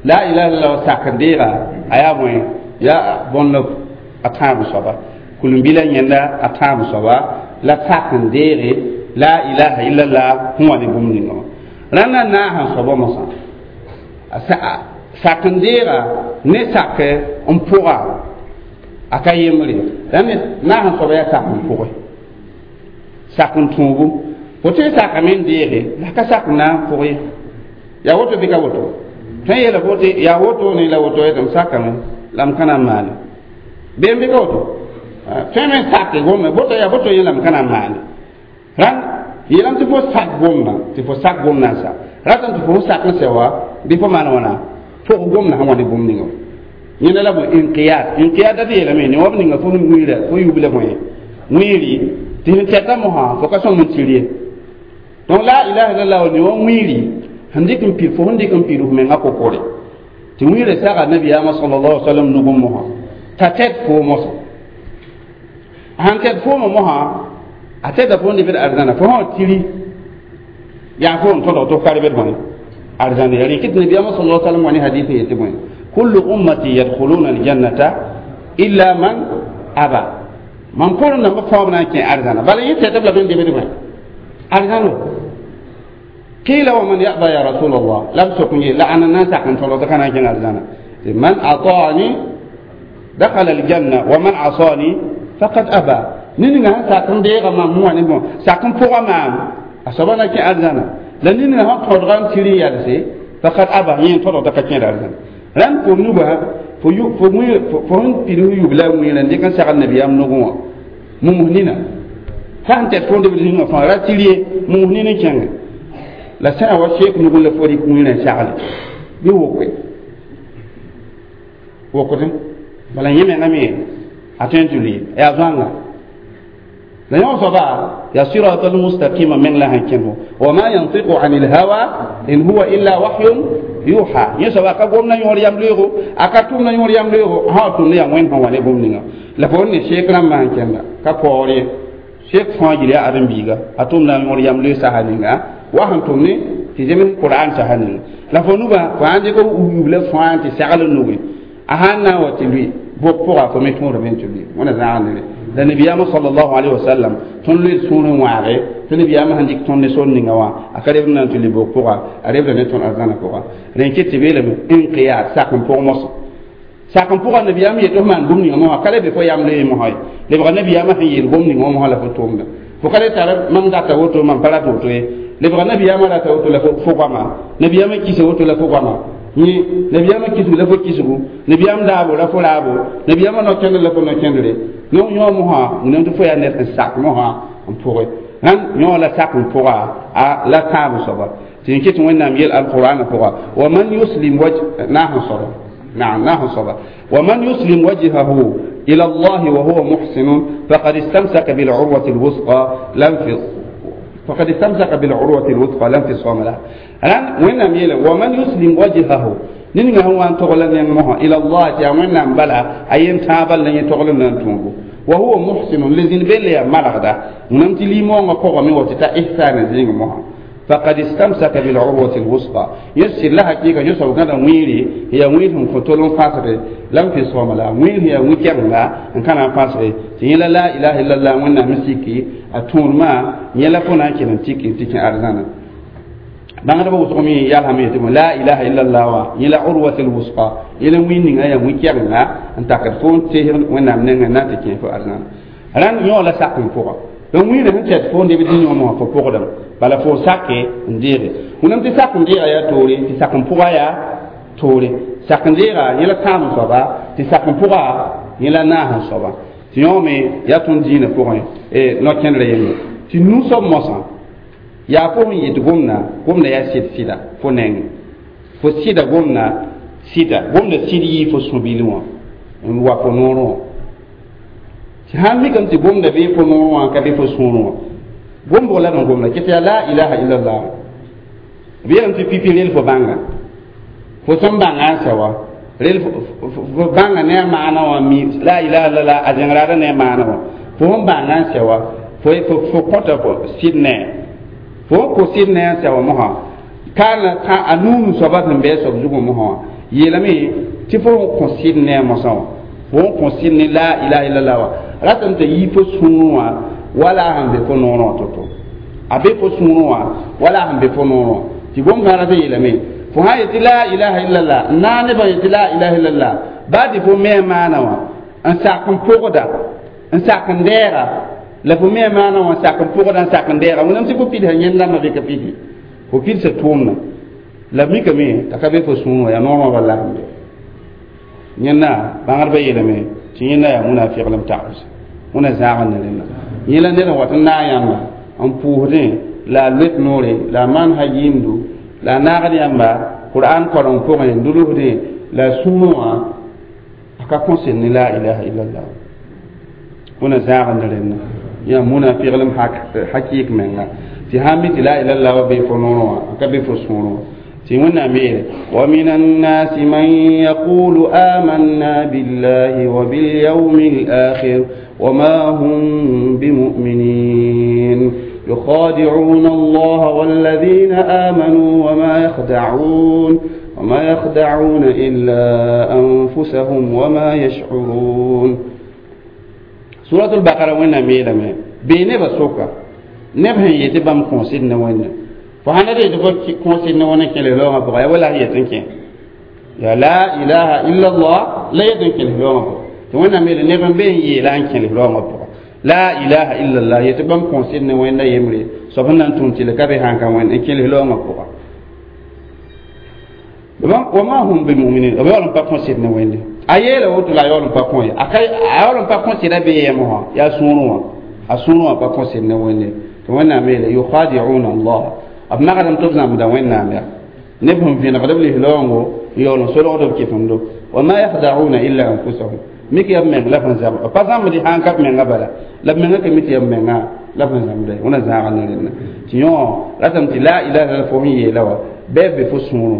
la ilaha illallah sak n deega a yaa bõe yaa bõnd a tãab soaba kulmbila yẽnda a tãab soaba la sak n deege la ilaha illallah sẽn wa ne bũmb ninga wã rãnda naas n soaba mosã sak n deega ne sak n pʋga a ka yembre rãmb naas n soaba yaa sak n pʋge sak n tũubu fo tõe sakame n deege la ka sak n na n pʋg ye yaa woto bɩ ka woto tõe yeela fo tɩ yaa woto ne la woto yetɩ m sakame la m ka na n maane bee bɩ ka woto tõe me sake gomna boto yaa boto yẽ la m ka na n maane rãnd yeelame tɩ fo sak gomna tɩ fo sak gomna n sa ratame tɩ fo sak n sɛ wa bɩ fo maan wãna fog gomna sẽn wa ne bũmb ninga yẽnda la bõe inqiyad inqiyad dat yeelame ne wa b ninga fo wiira fo yubla bõe wiiri tɩ sẽn tɛta mosã fo ka sõm n tir ye donc la ilaha illallah ne wa wiiri sẽn dɩk n pid fo sẽn dɩk n pid f menga kokore tɩ wiira saga nabiyaamã sallallahu alaihi wasallam nugum mosã t'a tɛd fo mosã sãn tɛd foomã mosã a tɛda fo n dɩ bd arzãna fo sã tiri yaa fo n tõdg tɩ f ka rebd bõe arzãna ya rẽkɩ tɩ nabiyaamã sallallahu alaihi wasallam wa ne hadith yetɩ bõe kullu ummati yadkhuluna aljannata illa man aba mam pʋrẽ nambã fãa b na n kẽ arzãna bala yẽ tɛta b la bẽn debd bõe arzãno qila wa man yaba ya rasul allah la b sok n ye la ãna na n sak n tõdg tɩ ka na n kẽng arzãna man ataani dakhala aljanna wa man asani faqad aba ninga sẽn sak n deega maam sẽn wa ne bõ sak n pʋga maam a soaba na kẽ arzãna la ninga sẽn tõdga n tir n yalse Faqad aba yẽ todgda ka kẽeda arzãna rãnd fo nuba fo fo fo sẽn pid f yubla wẽera n dɩk n sagl nabiyaam nugẽ wã mums nina sã n tɛt fo debd zĩngã fãa ra tɩr ye mums nin n kẽnge la sã wa sheek nugẽ la fo rɩk wẽerã n sagle bɩ wokoe wokdẽ bala yẽ mengã me a tõe n tɩ lʋɩ yaa zoãnga la yõ soaba yaa sirat almustaqima meng la sẽn kẽnd wa ma yantiqu an ilhawa in huwa illa wahyun yuha yẽ soaba ka gom na yõor yam loeego a ka tʋm na yõor yam loeego sã wa tʋmd yaa wẽnd sẽn wa ne bũmb ninga la fo ne sheek rãmbã sẽn kẽnda ka paoor ye sheek fãa yel yaa ãdem-biiga a tʋmda yõor yam loe sasa ninga wa sẽn tʋm ne tɩ zems qur'an sasa ninga la fo nubã fo sãn dɩk yubla fãa tɩ sagl n nugẽ a sãn na n wa tɩ lʋɩ bok pʋga fo me tõodame n tɩ lʋɩ wẽna zãag nere la nabiyaamã sallallahu alaihi wasallam tõnd loe sũurẽ wãage tɩ nabiyaamã sẽn dɩk tõnd ne sor ninga wã a ka rebd na n tɩ le bok pʋga a rebda ne tõnd arzãnã pʋga rẽn ket tɩ beelame inqiyad sak n pʋg mosã sak n pʋga nabiyaam yet f maan bũmb ninga mosã ka le be fo yam loe mosã ye lebga nabiyaamã sẽn yeel bũmb ninga mosã la fo tʋʋmda fo ka le tar mam data woto mam pa rat woto ye lebga nabiyaamã rata woto la fo goama nabiyaamã kisa woto la fo goama yẽ nabiyaamã kisg la fo kisgu nabiyaam daabo la fo raabo nabiyaamã no-kẽndr la fo no-kẽndre yõ yõ mosã wẽnnaam tɩ fo yaa ned n sak mosã n pʋgẽ rãnd yõ la sak n pʋga a la tãab soaba tɩ n ket wẽnnaam yel alqur'ana pʋga wa man yuslim waj naas n soaba naam naas n soaba wa man yuslim wajhahu ila Allah wa huwa muhsin faqad istamsaka bil urwati al wusqa lam fi فقد استمسك بالعروة الوثقى لا انفصام لها الآن وين يلا ومن يسلم وجهه نينغا هو أن تغلن ينمها إلى الله يا وين بلا أين تابل لن يتغلن نتونغو وهو محسن لزين بلي ملغدا ونمت لي مو قوة مي وتتا إحسان زين مها فقد استمسك بالعروة الوثقى يسر لها كيكا يسر كذا ويري هي ويرهم فتولون فاسر لم في صوم لا وير هي ويكر لا إن كان فاسر تيلا لا إله إلا الله وإن مسيكي أتون ما يلا فنا كنا تيكي تيكي أرزانا بانغ بو سومي يالا مي تيمو لا إله إلا الله وا يلا عروة الوثقى يلا وينين أيا ويكر لا أن تكفون تيهن وإن من ناتيكي فو أرزانا ران يولا ساكن فوق donc wĩirã sẽn tɛt fo neb dĩyõ mosã fo pʋgdame bala fo sake n deege wẽnnaam tɩ sak n deega yaa toore tɩ sak n pʋga yaa toore sak n deega yẽ la tãam n soaba tɩ sak n pʋga yẽ la naas n soaba tɩ yõ me yaa tõnd dĩinã pʋgẽ no-kẽndrã yembre tɩ nu-soab mosã yaa fo sẽn yet gomda gomda yaa sɩd sɩda fo neng fo sɩda gomda sɩda gomda sɩd yɩ fo sũ-bil wã n wa fo noorẽ wã tɩ sãn mikame tɩ gomda bee fo noorẽ wã ka be fo sũurẽ wã gombo la n gomda ket yaa la ilaha illallah b yeelame tɩ pipi rel fo bãnga fo sẽn bãnga n sɛ wa rel fo bãnga ne a maana wã mi la ilaha illallah a zẽngraada ne a maana wã fo sẽn bãnga n sɛ wa fo fo kõta fo sɩd ne fo n kõ sɩd ne n sɛ wa mosã kaana a nuun soaba sẽn bɩ a soab zugẽ mosã wã yeelame tɩ fo sẽn kõ sɩd ne a mosã wã fo sẽn kõ sɩd ne la ilaha illallah wã ratame t'a yii fo sũurẽ wã wala sẽn be fo noorẽ wã to-to a be fo sũurẽ wã wala sẽn be fo noorẽ wã tɩ gom sã rata yeelame fo sã yetɩ la ilaha illallah n naag nebã yetɩ la ilaha illallah baa tɩ fo me a maana wã n sak n pʋgda n sak n dɛɛga la fo me a maana wã n sak n pʋgda n sak n dɛɛga wẽnnaam tɩ fo pidsa yẽnd-dãmbã be ka pidse fo pidsa tʋʋmda la mikame t'a ka be fo sũurẽ wã yaa noorẽ wã bala sẽn be yẽnda bãngdbã yeelame tɩ yẽnda yaa munafiglem tags wẽna zãag n ne rẽnda yẽ la ned n wat n naag yãmba n pʋʋsdẽ la a loet noore la a maan ha yɩɩmdu la a naagd yãmba qur'an koreng pʋgẽ n dulsdẽ la a sũurẽ wã a ka kõsel ne la ilaha illallah wẽna zãag n ne rẽnda yaa munafiglem hakɩɩk menga tɩ sãn mi tɩ la ilaha illallah wa bee fo noorẽ wã a ka be fo sũurẽ wã tɩ wẽnnaam yeele wa min annaasi man yaqulu amanna billahi wa bilyawmi alakhir وما هم بمؤمنين يخادعون الله والذين آمنوا وما يخدعون وما يخدعون إلا أنفسهم وما يشعرون سورة البقرة وين ميلا مي بيني بسوكا نبهن يتبام كونسيد وين فهنا دي كونسيد وين كيلي لوما بغا ولا هي تنكي يا لا إله إلا الله لا يدنكي لوما tɩ wẽnnaam yeele neb n be n yeela n kẽles raoongã pʋga la ilaha illallah yetɩ bãmb kõsd ne wẽnda yembre soab sẽn na n tũud tɩ la ka be sãn ka wẽnd n kẽles raoongã pʋga Wa ma hum bimuminin, b yaool n pa kõ sɩd ne Wẽnde. A yeela woto la a yaool n pa kõ ye, a yaool n pa kõ sɩda bee yɛm wã, yaa sũurẽ wã, a sũurẽ wã pa kõ sɩd ne Wẽnde. Tɩ Wẽnnaam yeele yukhadi'una Allah, b magsdame tɩ b zãmbda Wẽnnaam ya neb sẽn vẽnegd b lislaoongo n yaool n solgd b kɩfemdo. Wa ma yakhda'una illa anfusahum, mik yaa b meng la b sẽn zãmb, b pa zãmbd sãn ka b menga bala, la b menga ka mi tɩ yaa b menga la b sẽn zãmbda. Wẽna zãaga ne rẽnda tɩ yõ ratame tɩ la ilaha illallah fo sẽn yeela wã bɩ b be fo sũurẽ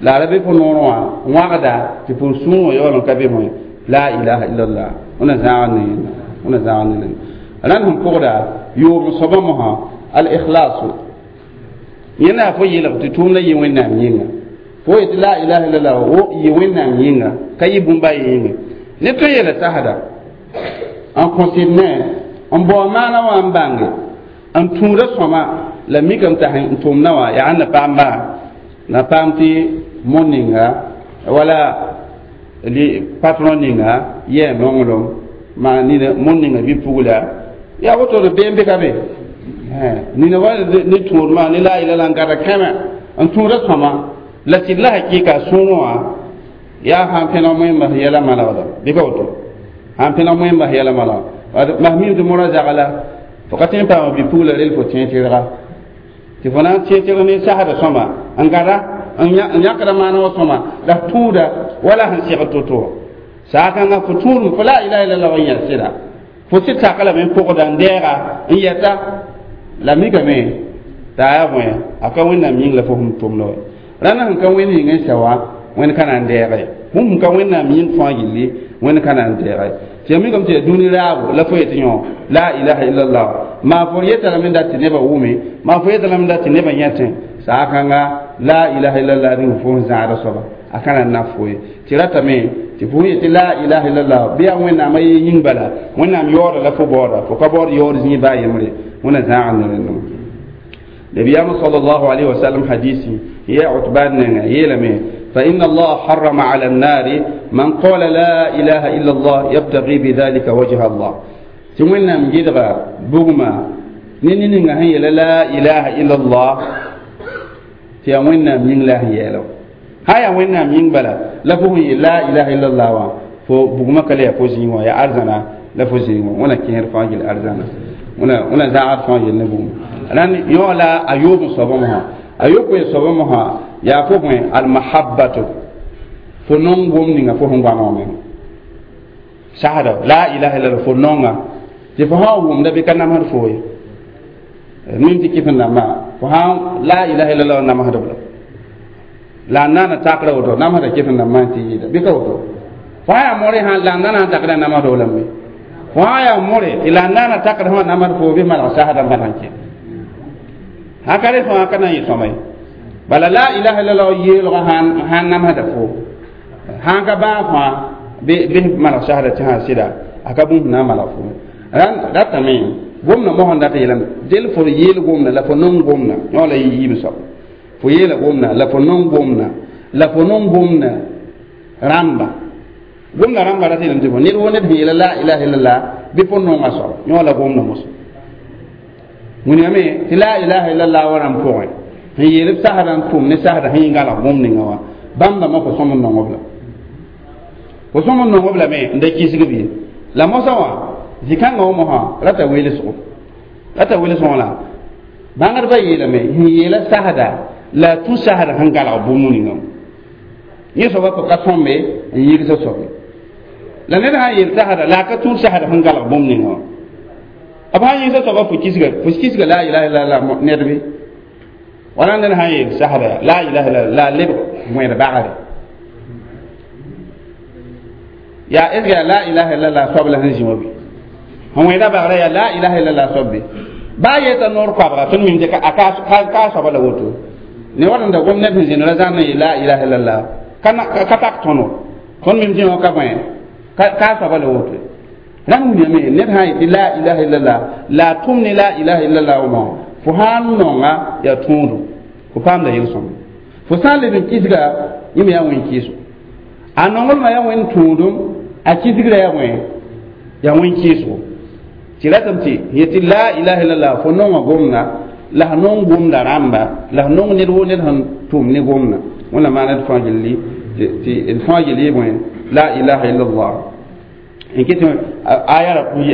la ra be fo noorẽ wã wãgda tɩ fo sũurẽ wã yaool n ka be bõe la ilaha illallah. Wẽna zãaga ne yẽnda, wẽna zãaga ne rẽnda. Rãnd sẽn pʋgda yoom soabã mosã al ikhlasu, yẽnda yaa fo yeelg tɩ tʋʋmda yɩ Wẽnnaam yĩnga. Fo yetɩ la ilaha illallah wo yɩ Wẽnnaam yĩnga, ka yɩ bũmba a yĩnga. Ne tõe yeela sasda n kõ sɩd ne n bao maana wã n bãnge n tũuda sõma la mikame t'a n tʋmdã wã yaa na paam baa na paam tɩ mo ninga wala patron ninga yɛ nonglem maa nina mo ninga bɩ pugla yaa woto d beem be ka be nina wa ne tũudmã ne la ilaha n gada kẽmɛ n tũuda sõma la sɩd la hakɩɩka sũurẽ wã yaa sãn pẽneg moẽ bas yɛla malgda bɩ ka woto sãn pẽneg moẽ bas yɛla malgda mas mim tɩ morã zagla fo ka tõe n paama bi-pugla rel fo tẽe tɩrga tɩ fo na n tẽe tɩrg ne sasda sõma n gada n yãkda maana wã sõma la f tũuda wala sẽn segd to-to wã saakãngã fo tũudme fo la ilaha illallah wa yã sɩda fo sɩd sak lame n pʋgda n dɛɛga n yɛta la mikame t'a yaa bõe a ka Wẽnnaam yĩng la fo sẽn tʋmda wa rãnd sẽn ka Wẽnd yĩng n sa wã Wẽnd ka na n dɛɛge bũmb sẽn ka Wẽnnaam yĩng fãa gilli Wẽnd ka na n dɛɛge. Tɩ ya mikame tɩ yaa dũni raabo la fo yetɩ yõ la ilaha illallah maa fo yeta lame n dat tɩ nebã wʋme, maa fo yeta lame n dat tɩ nebã yẽtẽ saakãnga la ilaha illallah rĩng fo sẽn zãada soaba a ka na n na fo ye. Tɩ ratame tɩ fo yetɩ la ilaha illallah bɩ yaa Wẽnnaam a ye yĩng bala Wẽnnaam yaooda la fo baooda fo ka baood yaood zĩig baa yembre. Wẽna zãag ne rẽndã. Nabiyaam sallallahu alayhi wa sallam hadisi ya Utban nenga yeelame: فإن الله حرم على النار من قال لا إله إلا الله يبتغي بذلك وجه الله. تمنى مجدغا بغما نيني هي لا إله إلا الله تيمنا من لا يلو هيا وين من بلا لفه لا إله إلا الله فو بغما كلا يفوزين يا أرزنا لفوزين وانا كير فاجل أرزنا وانا وانا زعر فاجل نبوم لأن يولا أيوب صبمها أيوب صبمها يا فوق المحبة فنون نيغا فو هنغ شهادة لا إله إلا الله فنون تفهم وم ده بكنا مهر فوي من تكيف نما فهم لا إله إلا الله نما هذا لا نانا تقرأ وتو نما هذا كيف نما تيجي ده بكوا فهاي موري هان لا نانا تقرأ نما هذا ولا مي فهاي موري إلا نانا تقرأ هو نما فوي بما شهادة ما هنك هكذا فهكذا يسمى بل لا إله إلا الله يلغى هان هان نما هذا فو هان كبا فا به ما شهادة هان سيدا أكبر نما لا فو ran ratame gomna mo honda yelam del fo yel gomna la fo non gomna yola yim so fo yela gomna la fo non gomna la fo non gomna ramba gomna ramba rati lam tipo nir wonde yela la ilaha illallah bi fo non aso yola gomna mos muni ame la ilaha illallah waram ko en yel saharan tum ne sahara hingala gomni ngawa bamba ma ko somon non obla ko somon non obla me nda kisigi bi la mosawa zikãngã wã mosã rata weelsgo rata weelsgõ la bãngdbã yeelame sẽn yeela sasda la tũ sasda sẽn galg bũmb ninga yẽ soaba fo ka sõmbe n yɩgsa soabe la ned sã n yeel sasda la a ka tũud sasda sẽn galg bũmb ninga wã b sã n yɩgsa soaba fo kisga fo kisga la ilaha illallah ned be wala ned sã n yeel sasda la ilaha illallah la a lebg wẽed bagre yaa est ce que la ilaha illallah soab la sẽn zĩ wã be wẽeda bagrã yaa la ilaha illallah soab be baa yeta noor koabga tõnd mim tɩ a ka soaba la woto ne wat n da gom ned sẽn zĩnd ra zãn n yee la ilaha illallah ka tak tõno tõnd mim tɩ yõ ka bõe ka soaba la woto rãnd wilgame ned sã n yetɩ la ilaha illallah la a tʋm ne la ilaha illallah wã fo sã n nonga yaa tõodo fo paamda yel-sõma fo sã n leb n kisga yẽ me yaa wẽn kɩɩso a nonglmã yaa wẽn tũudum a kisgrã yaa wẽ yaa wẽn kɩɩsgo tɩ ratame tɩ yetɩ la ilaha illallah fo nonga gomna la f nong gomda rãmba la f nong ned woo ned sẽn tʋm ne gomna wẽnnaam maana d fãa gilli tɩ d fãa yel yɩ bõe la ilaha illallah n kɩt aya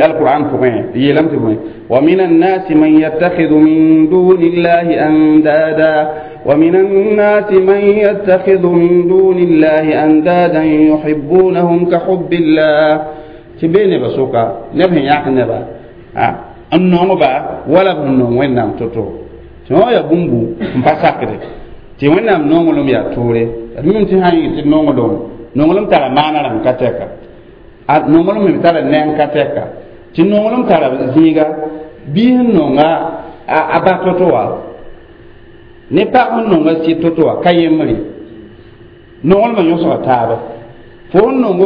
alquran pʋgẽ yeelame tɩ bõe wa min annasi man yattakhidhu min duni llahi andada ومن الناس من يتخذ من دون الله أندادا يحبونهم كحب الله تبين بسوكا نبه ياك نبا n nongba wala b sẽn nong wẽnnaam to-to tɩ wã yaa bũmbu n pa sakde tɩ wẽnnaam nonglem yaa toore d mim tɩ sã n yɩ tɩ nonglem nonglem tara maana rãmb ka tɛka a nonglem me tara neng ka tɛka tɩ nonglem tara zĩiga bɩ sẽn nonga a ba to-to wã ne pag sẽn nonga sɩd to-to wã ka yembre nonglmã yõsga taaba fo sẽn nong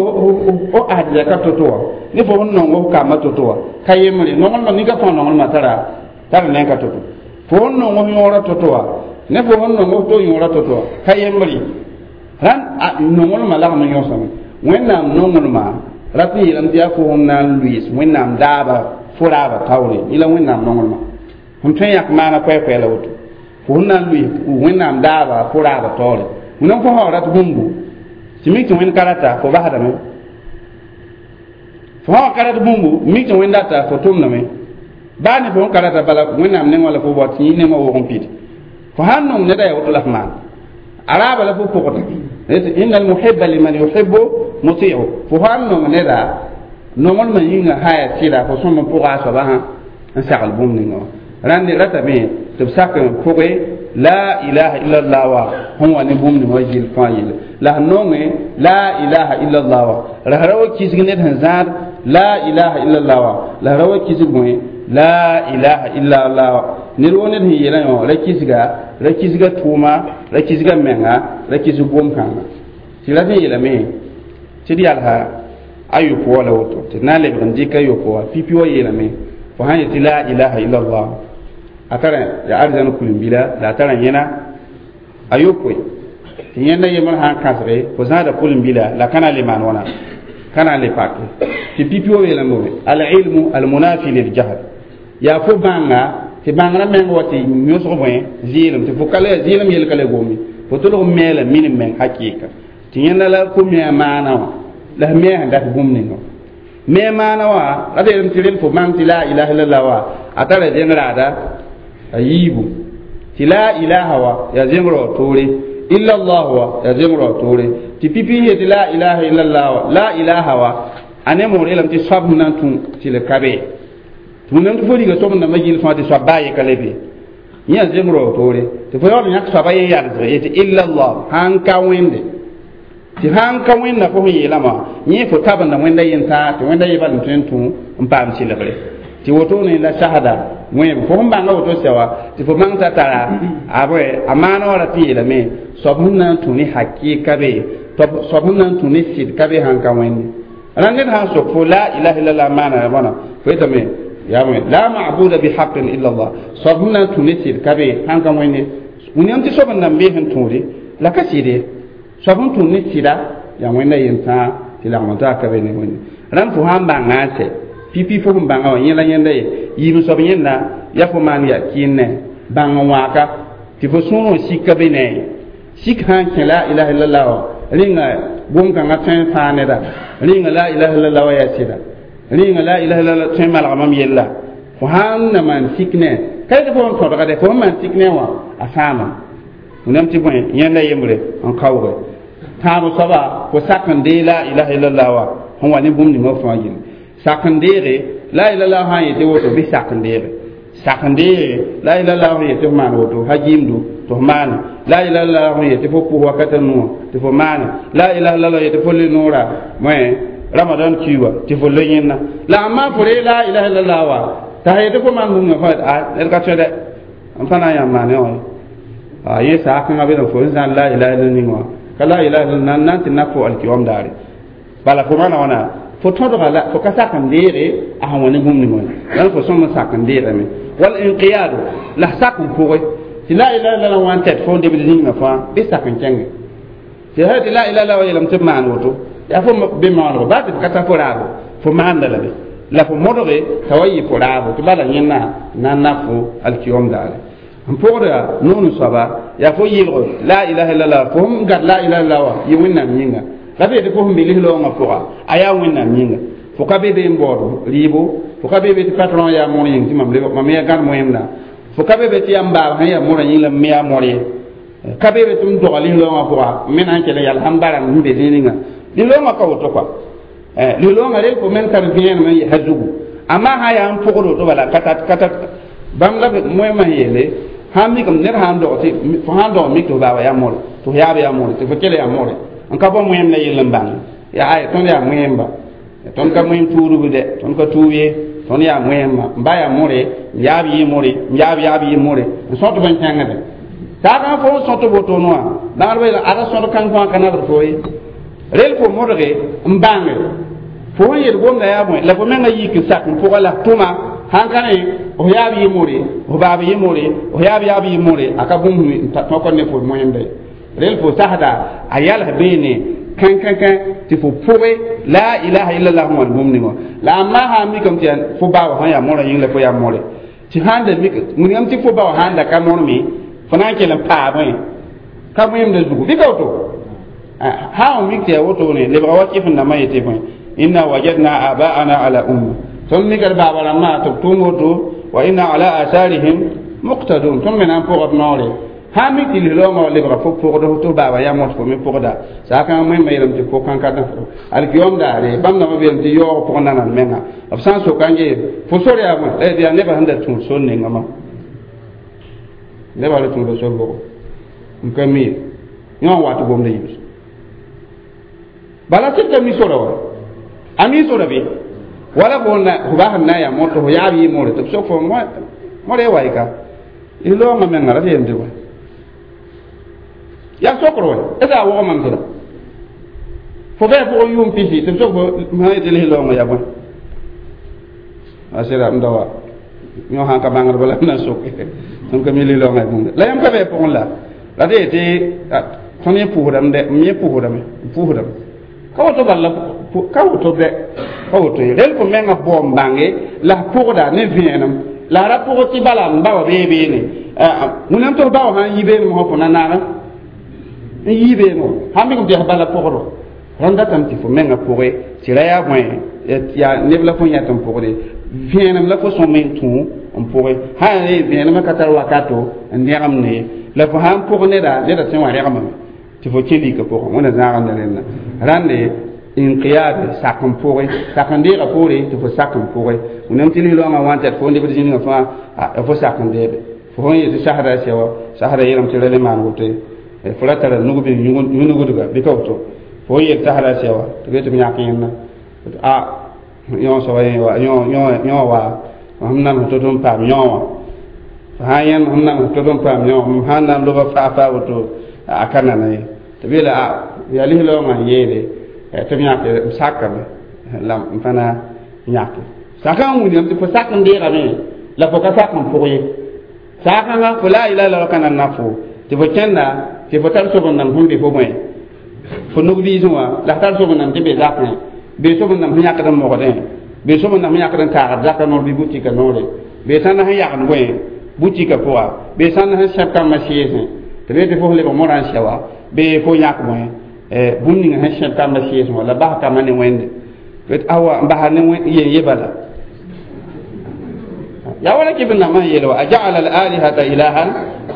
f asdɛka to-to wã ne fo sẽn nong f kamba to-to wã ka yembre nonglmã nika fãa nonglmã tara tara neng-ka to-to fo sẽn nong f yõora to-to wã ne fo sẽn nong f to yõora to-to wã ka yembre rãn nonglmã lagm n yõsame wẽnnaam nonglmã rat n yeelame tɩ yaa fo sẽn na n lʋɩɩs wẽnnaam daaba fo raaba taoore yẽ la wẽnnaam nonglmã sẽn tõe n yãk maana koɛɛ-koɛɛ la woto fo sẽn na n lʋɩs wẽnnaam daaba fo raaba taoore wẽnnaam fo sã rat bũmbu tɩ mik tɩ wẽnd ka rata fo basdame fo sã ka rat bũmbu mik tɩ wẽnd rata fo tʋmdame baa ne fo sẽn ka rata bala wẽnnaam nengã la fo bao tɩ yẽ nengã wʋg n pid fo sãn nong neda yaa woto la f maan a raaba la fo pʋgda inna almuhibba liman yuhibbu muti'u fo sãn nong neda nonglmã yĩnga sã yaa sɩda fo sõm n pʋga a soaba sã n sagl bũmb ninga wã rãnd ratame tɩ b sak n pʋge la ilaha illallah wa sẽn wa ne bũmb ning wã yel fãa yelle la sẽn nonge la ilaha illallah wa la ra wa kisg ned sẽn zãad la ilaha illallah wa la ra wa kisg bõe la ilaha illallah wa ned woo ned sẽn yeelã yõ ra kisga ra kisga tʋʋma ra kisga menga ra kisg gom-kãnga tɩ ra sẽn yeelame tɩ d yalsa a yopoa la woto tɩ d na n lebg n dɩk a yopoa pipi wa yeelame fo sãn yetɩ la ilaha illallah a tara ya arzãn kulim-bila la a tara yẽna a yopoe tɩ yẽnda yembr sã n kãsge fo zãada kulim-bila la ka na n le maan wãna ka na n le pake tɩ pipi wa yeelame bõe alilmu almunafi liljahl yaa fo bãnga tɩ bãngrã meng wa tɩ yõsg bõe zɩɩlem tɩ fo ka le zɩɩlem yel ka le gome fo tolg n meela minim meng hakɩɩka tɩ yẽnda la fo me a maana wã la f me sẽn dat bũmb ninga me maana wã ra yeelame tɩ rel fo bãng tɩ la ilaha illallah wa a tara zẽng raada a yiibu tɩ la ilaha wa yaa zẽng rao toore illallah wa yaa zẽng rao toore tɩ pipi ye tɩ la ilaha illallah wa la ilaha wa a ne moor yeelame tɩ soab sẽn na n tũ tɩ le ka be tɩ wẽnnaam tɩ fo riga sob-dãmbã gill fãa tɩ soab baa ye ka le be yẽ yaa zẽng rao toore tɩ fo yaool n yãk soaba ye yalsg ye tɩ illallah sãn ka wẽnde tɩ sãn ka wẽnda fo sẽn yeelame yẽ fo tabenda wẽnda yentãag tɩ wẽnda ye bal n tõe n tũ n paam sɩlgre tɩ wotone la sahada wẽem fo sẽn bãnga woto sɛ wa tɩ fo bãng t'a tara a bõe a maana wã ra tɩ yeelame soab sẽn na n tũ ne hakɩɩka be soab sẽn na n tũ ne sɩd ka be sãn ka wẽnde rãnd ned sãn sok fo la ilaha illallah maana bõna fo yetame yaa bõe la mabuda bihaqin illa allah soab sẽn na n tũ ne sɩd ka be sãn ka wẽnde wẽnnaam tɩ soab n nan bee sẽn tũude la ka sɩde soab sẽn tũ ne sɩda yaa wẽnda yentãag tɩ lagm taa ka be ne wẽnde rãnd fo sãn bãnga n sɛ pipi fo sẽn bãnga wã yẽ la yẽnda ye yiib soab yẽnda yaa fo maan yaa kɩɩnne bãng n wãaka tɩ fo sũurẽ sik ka be ne sik sã n kẽ la ilaha illallah wã rĩnga gom-kãngã tõe n fãa neda rĩnga la ilaha illallah wã yaa sɩda rĩnga la ilaha illallah tõe n malga mam yella fo sãn na maan sik ne ka yetɩ fo n tõdga dɛ fo sẽn maan sik ne wã a sãama wẽnnaam tɩ bõe yẽnda yembre n kaooge tãab soaba fo sak n dee la ilaha illallah wã sẽn wa ne bũmb ninga fãa yelle sak n deege la ilaha sã n yetɩ woto bɩ sak n deege sak n deege la ilaha sẽn yetɩ f maan woto ha gɩɩmdu tɩ f maane la ilaha illallah sẽn yetɩ fo pʋs wakata nuwã tɩ fo maane la ilaha illallah yetɩ fo le noora moẽ ramadan kiiwa tɩ fo le yẽnna la a maa fo ree la ilaha illallah wa t'a sã yetɩ fo maan bũmb fã a ned ka tõe dɛ n pa na n yãmb maane wã a yẽ saakãngã be fo n zãn la ilaha illallah ning wã ka la ilaha illallah nan tɩ na fo alkiyom daare bala fo maana wãna fo tõdga la fo ka sak n deege a sẽn wa ne bũmb ning wã la fo sõm n sak n deegame wal inqiyadu la sak n pʋgẽ tɩ la ilaha illallah wã n tɛt fo n debd zĩnigã fãa bɩ sak n kẽnge tɩ sã tɩ la ilaha illallah wa yeelame tɩ b maan woto yaa fo be maoolgo baa tɩ b ka ta fo raabo fo maanda la be la fo modge t'a wa yɩ fo raabo tɩ bala yẽnna na n na fo alkiyom daare n pʋgda noon soaba yaa fo yɩlg la ilaha illallah fo sẽn gad la ilaha illallah wã yɩ wẽnnaam yĩnga la b yetɩ fo sẽn be lis-loongã pʋga a yaa wẽnnaam yĩnga fo ka be be n baood rɩɩbo fo ka be be tɩ patron yaa mor yĩng tɩ mam yaa gãd moẽmda fo ka be be tɩ yaa m baab sẽn yaa morã yĩng la m me yaa mor ye ka be be tɩ m doga lis-loongã pʋga m me na n kell n yal sãn bara sẽn be zĩig ninga lis-loongã ka woto kɔa lis-loongã rel fo meng tar vẽenem n yɛsa zugu amma sã yaa n pʋgd woto bala ka tat ka tat bãmb la moẽmã sẽn yeele sãn mikame ned sãn dog tɩ fo sãn dog mik tɩ f baaba yaa more tɩ f yaab yaa more tɩ fo kell yaa more n ka bao moẽm la yell n bãng yaa ay tõnd yaa moẽmba tõnd ka moẽm tuudb dɛ tõnd ka tuub ye tõnd yaa moẽmba n ba yaa more n yaab yɩ more n yaab yaab yɩ more n sõt b n kẽngde saagã fo n sõt wotone wã bãgdbã yeela ada sõd kãng fãa ka nabd fo ye rel fo modge n bãnge fo sẽn yel gomda yaa bõe la fo menga yik n sak n pʋga la tʋma sãn ka ne f yaab yɩ more f baab yɩ more f yaab yaab yɩ more a ka bũmb n tõk ne fo moẽmda rel fo sasda a yals beene kãn kãn kãn tɩ fo pʋge la ilaha illallah wãn bũmb ninga la a maa sã n mikame tɩ yaa fo baaba sã yaa morã yĩng la fo yaa more tɩ sãn da mik wilgame tɩ fo bao sãn da ka morme fo na n kell n paabẽ ka moẽmda zugu bɩ ka woto sã n mik tɩ yaa wotone lebga wa kɩf n dãmbã yetɩ bõe inna wajadna abaana ala umma tõnd mika d baaba rãmbã tɩ b tʋʋm woto wa inna ala asarihim muqtadun tõnd me na n pʋgb noore sã n mik tɩ lis-loongã lebga fo pʋgd tɩ f baaba yaa mos fo me pʋgda saakãng moẽmã yeelame tɩ pʋg kãn-ka alkiyom daare bãmb dãmbã beelame tɩ yaoog pʋgẽ nanan menga b sã n soka n gee fo sor yaa bõe la yaa nebã sẽn da tũud sor nengã ma nebã la tũuda sor bʋgo n ka mi ye yõ n wat gomda yibs bala tɩ ka mi sora wa a mi sora be wala fo na fo bas n na n yaa moto fo yaab yɩ more tɩ b sok fo more wa ka loongã menga ra tɩ yem tɩ bõe yaa sokr wɛ est a wog mam sẽda fo bɩ a pʋgẽ yʋʋm pisi tɩ b sok fo sã yetɩ lis-loongã yaa bõe a sɩda m da wa yõ sãn ka bãngdba la m na n soke tõnd ka mi lis-loongã ya bũmb la yãmb ka bɩ a pʋgẽ la la tɩ yetɩ tõnd yẽ pʋʋsdame dɛ m yẽ pʋʋsdame n pʋʋsdame ka woto bala ka woto bɛ ka woto ye rel fo menga bao n bãnge la f pʋgda ne vẽenem la ra pʋg tɩ bala n ba wa bee beene wẽnnaam tɩ f bao sã n yi beenem sã fo na naana n yii beene sãn mikame tɩ yaa bala pʋgdo rãnd datame tɩ fo menga pʋge tɩ ra yaa bõe yaa neb la fo yãt n pʋgde vẽenem la fo sõm n tũ n pʋge sã yaa vẽenemã ka tar wakato n dẽgemd ye la fo sã n pʋg neda neda sẽ wã rẽgemame tɩ fo kẽ lika pʋgẽ wẽnna zãagenda rẽnda rãnde inqiyad sak n pʋge sak n deega poore tɩ fo sak n pʋge wẽnnaam tɩ lis-loongã wã n tɛd fo lebd zĩnigã fãa fo sak n deebe fo sẽn yetɩ sasda sɛ wa sasda yeelame tɩ ra le maan woto ye fo ra tara nug bɩ yũnugdga bɩ ka woto fo n yel sasda sɛ wa tɩ be tɩ b yãk yẽnda a yõ soaba yẽ wa yõ wa sẽm nams to-to n paam yõ wã sã n yẽnd sẽm nams to-to n paam yõ m sãn na n loba faa faa woto a ka nana ye tɩ b yeela a yaa lis-loongã n yeele tɩ b yãke b sakame la m fãna yãke sakã n wilgame tɩ fo sak n deegame la fo ka sak n pʋg ye saakãngã fo la ilaha illallah ka nan na fo tɩ fo kẽnda tɩ fo tar sob n nam sẽn be fo bõe fo nug-biisẽ wã la f tar sob n nam tɩ be zakẽ bee sob n nam sẽn yãkd n mogdẽ bee sob n nam sẽn yãkd n taagd zakã noor bɩ butika noore bee sãn sẽn yagd bõe butika pʋga bee sãn sẽn sẽb kambã sɩɩsẽ tɩ bee tɩ fo sẽn lebg morã n sɛ wa bee fo yãk bõe bũmb ninga sẽn sẽb kambã sɩɩsẽ wã la bas kambã ne wẽnde awa n basa ne yen ye bala yaa wala kɩ b nambã n yeel wa a jaala al alihata ilahan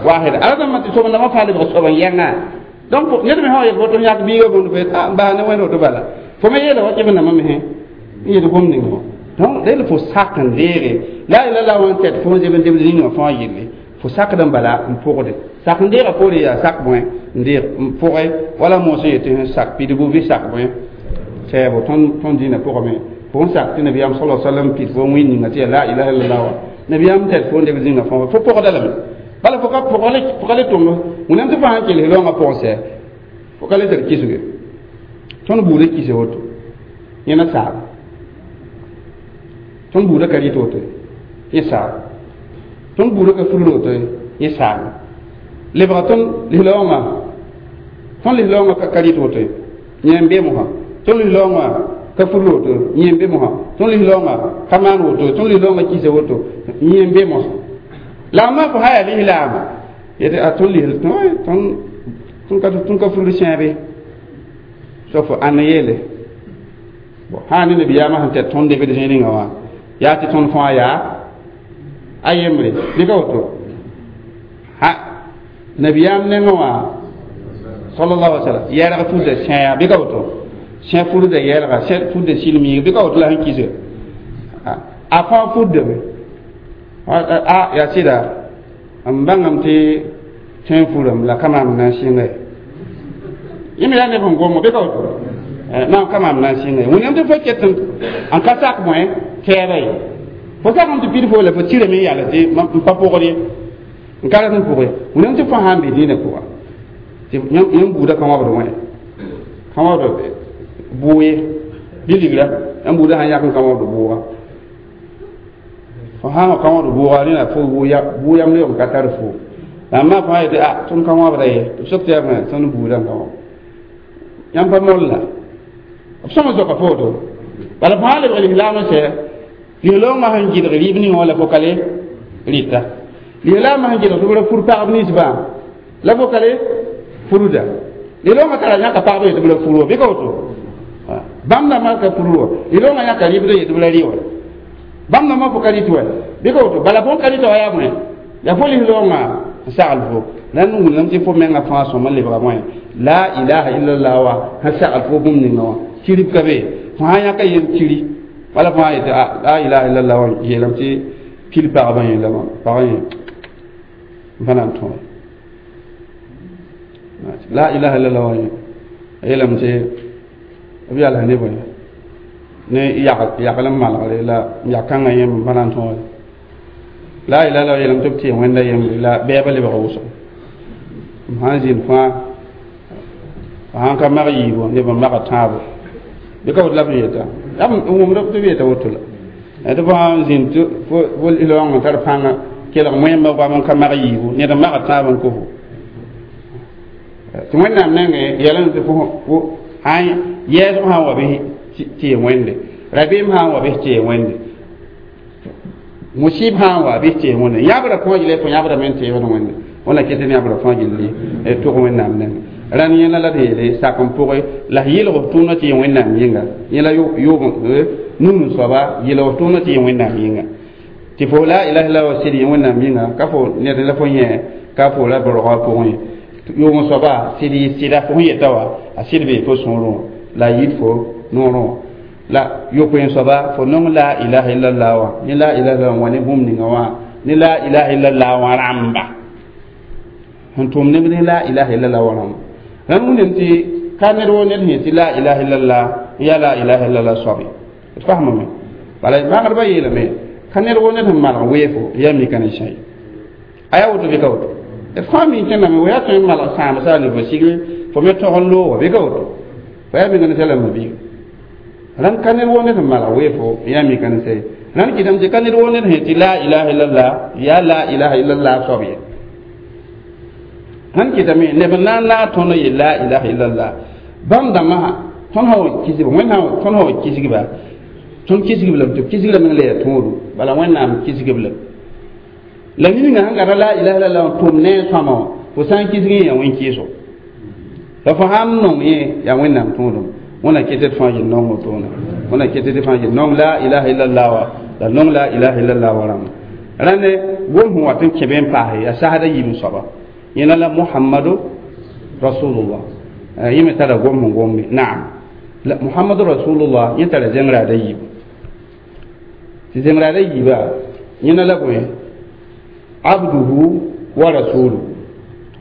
wahida ala dãmbã tɩ sob nambã fãa lebg soab n yɛngã donc ned me sã wa yel woto yãk biiga bũmb fo n basa ne wẽnd woto bala fo me yeela wa kɩ b nambã me n yel gom ning wã donc rel fo sak n deege la ilaha illallah wã n tɛd fo n zeb n debd ning wã fãa yelle fo sakd n bala n pʋgde sak n deega poore yaa sak bõe n deeg n pʋge wala moos n yetɩ sẽn sak pidgu bɩ sak bõe sɛɛbo tõnd tõnd dĩinã pʋgame fo n sak tɩ nabiyaam sala sallam pid fo wẽn ninga tɩ yaa la ilaha illallah wã nabiyaam tɛd fo n lebd zĩnga fãa fo pʋgda lame bala fo ka fo ka le tʋm wẽnnaam tɩ fo sãn kell loongã pʋgẽ sɛ fo ka le tar kisge tõnd buudã kise woto yẽna saab tõnd buudã ka rɩt woto yẽ saab tõnd buudã ka fulr woto yẽ saab lebga tõnd lis-loongã tõnd lis-loongã ka rɩt woto yẽ n be mosã tõnd lis-loongã ka fulr woto yẽ n be mosã tõnd lis-loongã ka maan woto tõnd lis-loongã kisa woto yẽ n be mosã La ma fo haya lislaama yetɩ a tõnd lisl tõnd ka tõnd ka furd sẽebe so fo ãnn yeele bon sã ne nabiyaamã sẽn tɛr tõnd debd zĩig ninga wã yaa tɩ tõnd fãa yaa a yembre dɩka woto ha nabiyaam nengẽ wã sallallahu alaihi wasallam yɛlg furda sẽa bɩ ka woto sẽ furda yɛlga sẽ furda silmiig bɩ ka woto la sẽn kisga a fãa furdame a yaa sɩda n bãngame tɩ tẽn furame la ka maam na n sɩnga ye yẽ me yaa neb sẽn gommo bɩ ka woto maam ka maam na n sɩnga ye wẽnnaam tɩ fo ket n ka sak bõe tɛɛba ye fo sakame tɩ pid fo la fo tirame n yala tɩ n pa pʋgd ye n ka rat n pʋg ye wẽnnaam tɩ fo sãn be dĩinã pʋga tɩ yãmb buudã ka wãbd wẽ ka wãbd bʋʋ ye bɩ ligra yãmb buudã sãn yak n ka wãbd bʋʋga fo sã ka wãbd bʋʋga rẽna fo bʋ yam leoog n ka tar fo la maa fãa yetɩ a tõnd ka wãbda ye tɩ b sok tɩ yaa tõnd buudã n ka wãb yãmb pa molla b sõma zoka fo woto bala fo sã lebg lislaam n sɛ lislaoongã sẽn gɩdg rɩɩb ninga wã la fo ka le rɩta lislaamã sẽn gɩdg tɩ b ra fur pagb ninsbã la fo ka le furda lislaoongã tara yãka pagb yetɩ b ra fur wa bɩ ka woto bãmb dãmbã ka fur wa lislaoongã yãka rɩɩbd yetɩ b ra rɩ wa bãmb dãmbã fo ka rɩt wa bɩ ka woto bala fõn ka rɩta wa yaa bõe yaa fo lislaoongã n sagl fo la n wilgame tɩ fo menga fãa sõma lebga bõe la ilaha illallah wa sẽn sagl fo bũmb ninga wã kirib ka be fo sã yãka yem kiri wala fo sã yetɩ la ilaha illallah wã yeelame tɩ pil pagba yẽla pagã yẽ n pa na n tõe la ilaha illallah wã a yeelame tɩ b yals ne bõe ne yagl n malgre la yak-kãngã yẽmb n pa na n tõe la ilaha illallah yeelame tɩ b tɩ wẽnda yembre la bɛɛba lebga wʋsgo m sãn zĩnd fãa sãn ka mag yiibo neb n maga tãabo bɩ ka woto la b yeta yaa b wʋmd tɩ b yeta woto la tɩ fo sãn zĩnd tɩ fo lislaoong n tar pãnga kelg wẽmba goam n ka mag yiibu ned n maga tãab n kofo tɩ wẽnnaam nengẽ yɛlẽ tɩ fo sãn yɛɛsg sãn wa bɩ tɩ ye wẽnde rabeem sãn wa bɩ tɩ ye wẽnde musib sãn wa bɩ tɩ ye wẽnde yãbra fãa gilli fo yãbra me n teebd wẽnde wẽnna ket ne yãbra fãa gilli tʋg wẽnnaam nengẽ rãn yẽla la d yeele sak n pʋgẽ la s yɩlg f tʋʋmdã tɩ yẽ wẽnnaam yĩnga yẽla yʋʋg num n soaba yɩlg f tʋʋmdã tɩ yẽ wẽnnaam yĩnga tɩ fo la ilaha illallah wa sɩd yẽ wẽnnaam yĩnga ka fo ned la fo yẽ ka fo la brogã pʋgẽ ye yʋʋg n soaba sɩd yɩ sɩda fo sẽn yeta wa a sɩd bee fo sũurẽ la a yit fo noorẽ la yopoe n soaba fo nong la ilaha illallah wã ne la ilaha illallah wã ne bũmb ninga wã ne la ilaha illallah wã rãmba sẽn tʋm neb ne la ilaha illallah wã rãmba rãnd wẽnnaam tɩ ka ned wo ned sẽn tɩ la ilaha illallah n yaa la ilaha illallah soabe d fasmame bala maagdbã yeelame ka ned wo ned sẽn malg weefo yaa mika ne sã ye a yaa woto bɩ ka woto d fãa mi kẽndame wo yaa tõe n malg sãam sa ne fo sigre fo me tog n looga bɩ ka woto fo yaa mika ne sã la mabiiga rãnd ka ned wo ned sẽn malg weefo yaa mika ne sã ye rãnd kɩtame tɩ ka ned wo ned sẽn tɩ la ilaha illallah yaa la ilaha illallah soab ye sãn kɩtame neb n na n naag tõnd n yel la ilaha illallah bãmb dãmbã tõnd sã wa kisg wẽnd tõnd sã wa kisgba tõnd kisgb lame tɩ b kisg lame la yaa tõodo bala wẽnnaam kisgb lame la ninga sẽn gata la ilaha illallah n tʋm ne a sõama wã fo sã n kisg yẽ yaa wẽn-kɩɩso la fo sãn nong yẽ yaa wẽnnaam tõodem wẽna ket d fãa yel nongo toona wẽna ket d fãa yel nong la ilaha illallah wa la nong la ilaha illallah wa rãmba rãnde gom sẽn wat n kẽ be n paase yaa sasda yiib n soaba yẽna la muhammadu rasulullah yẽ me tara gom sẽn gombe naam la muhammadu rasulullah yẽ tara zẽngraada yiib tɩ zẽngraada yiiba yẽna la bõe abduhu wa rasuluhu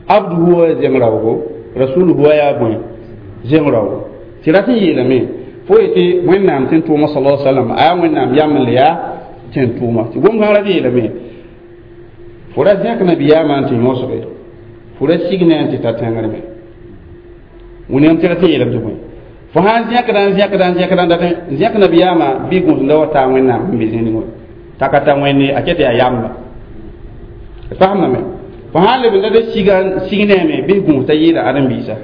abduhu wa zẽng-raoogo rasuluhu wa yaa bõe zẽng-raoogo tɩ rat n yeelame fo yetɩ wẽnnaam tẽn tʋʋma sala salam a yaa wẽnnaam yam n le yaa tẽn tʋʋma tɩ gom-kãng rat yeelame fo ra zẽk nabiyaamã n tɩ yõsge fo ra sig ne n tɩ ta tẽngr me wẽnnaam tɩ rat n yeelame tɩ bõe fo sãn zẽkda n zẽkda n zẽkda n dat n zẽk nabiyaamã bɩ gũusda wa taa wẽnnaam sẽn be zĩnig wã t'a ka ta wẽnde a ket yaa yamba d fasemdame fo sãn leb n dat siga sig neeme bɩ gũus t'a yɩɩda ãdem-biisa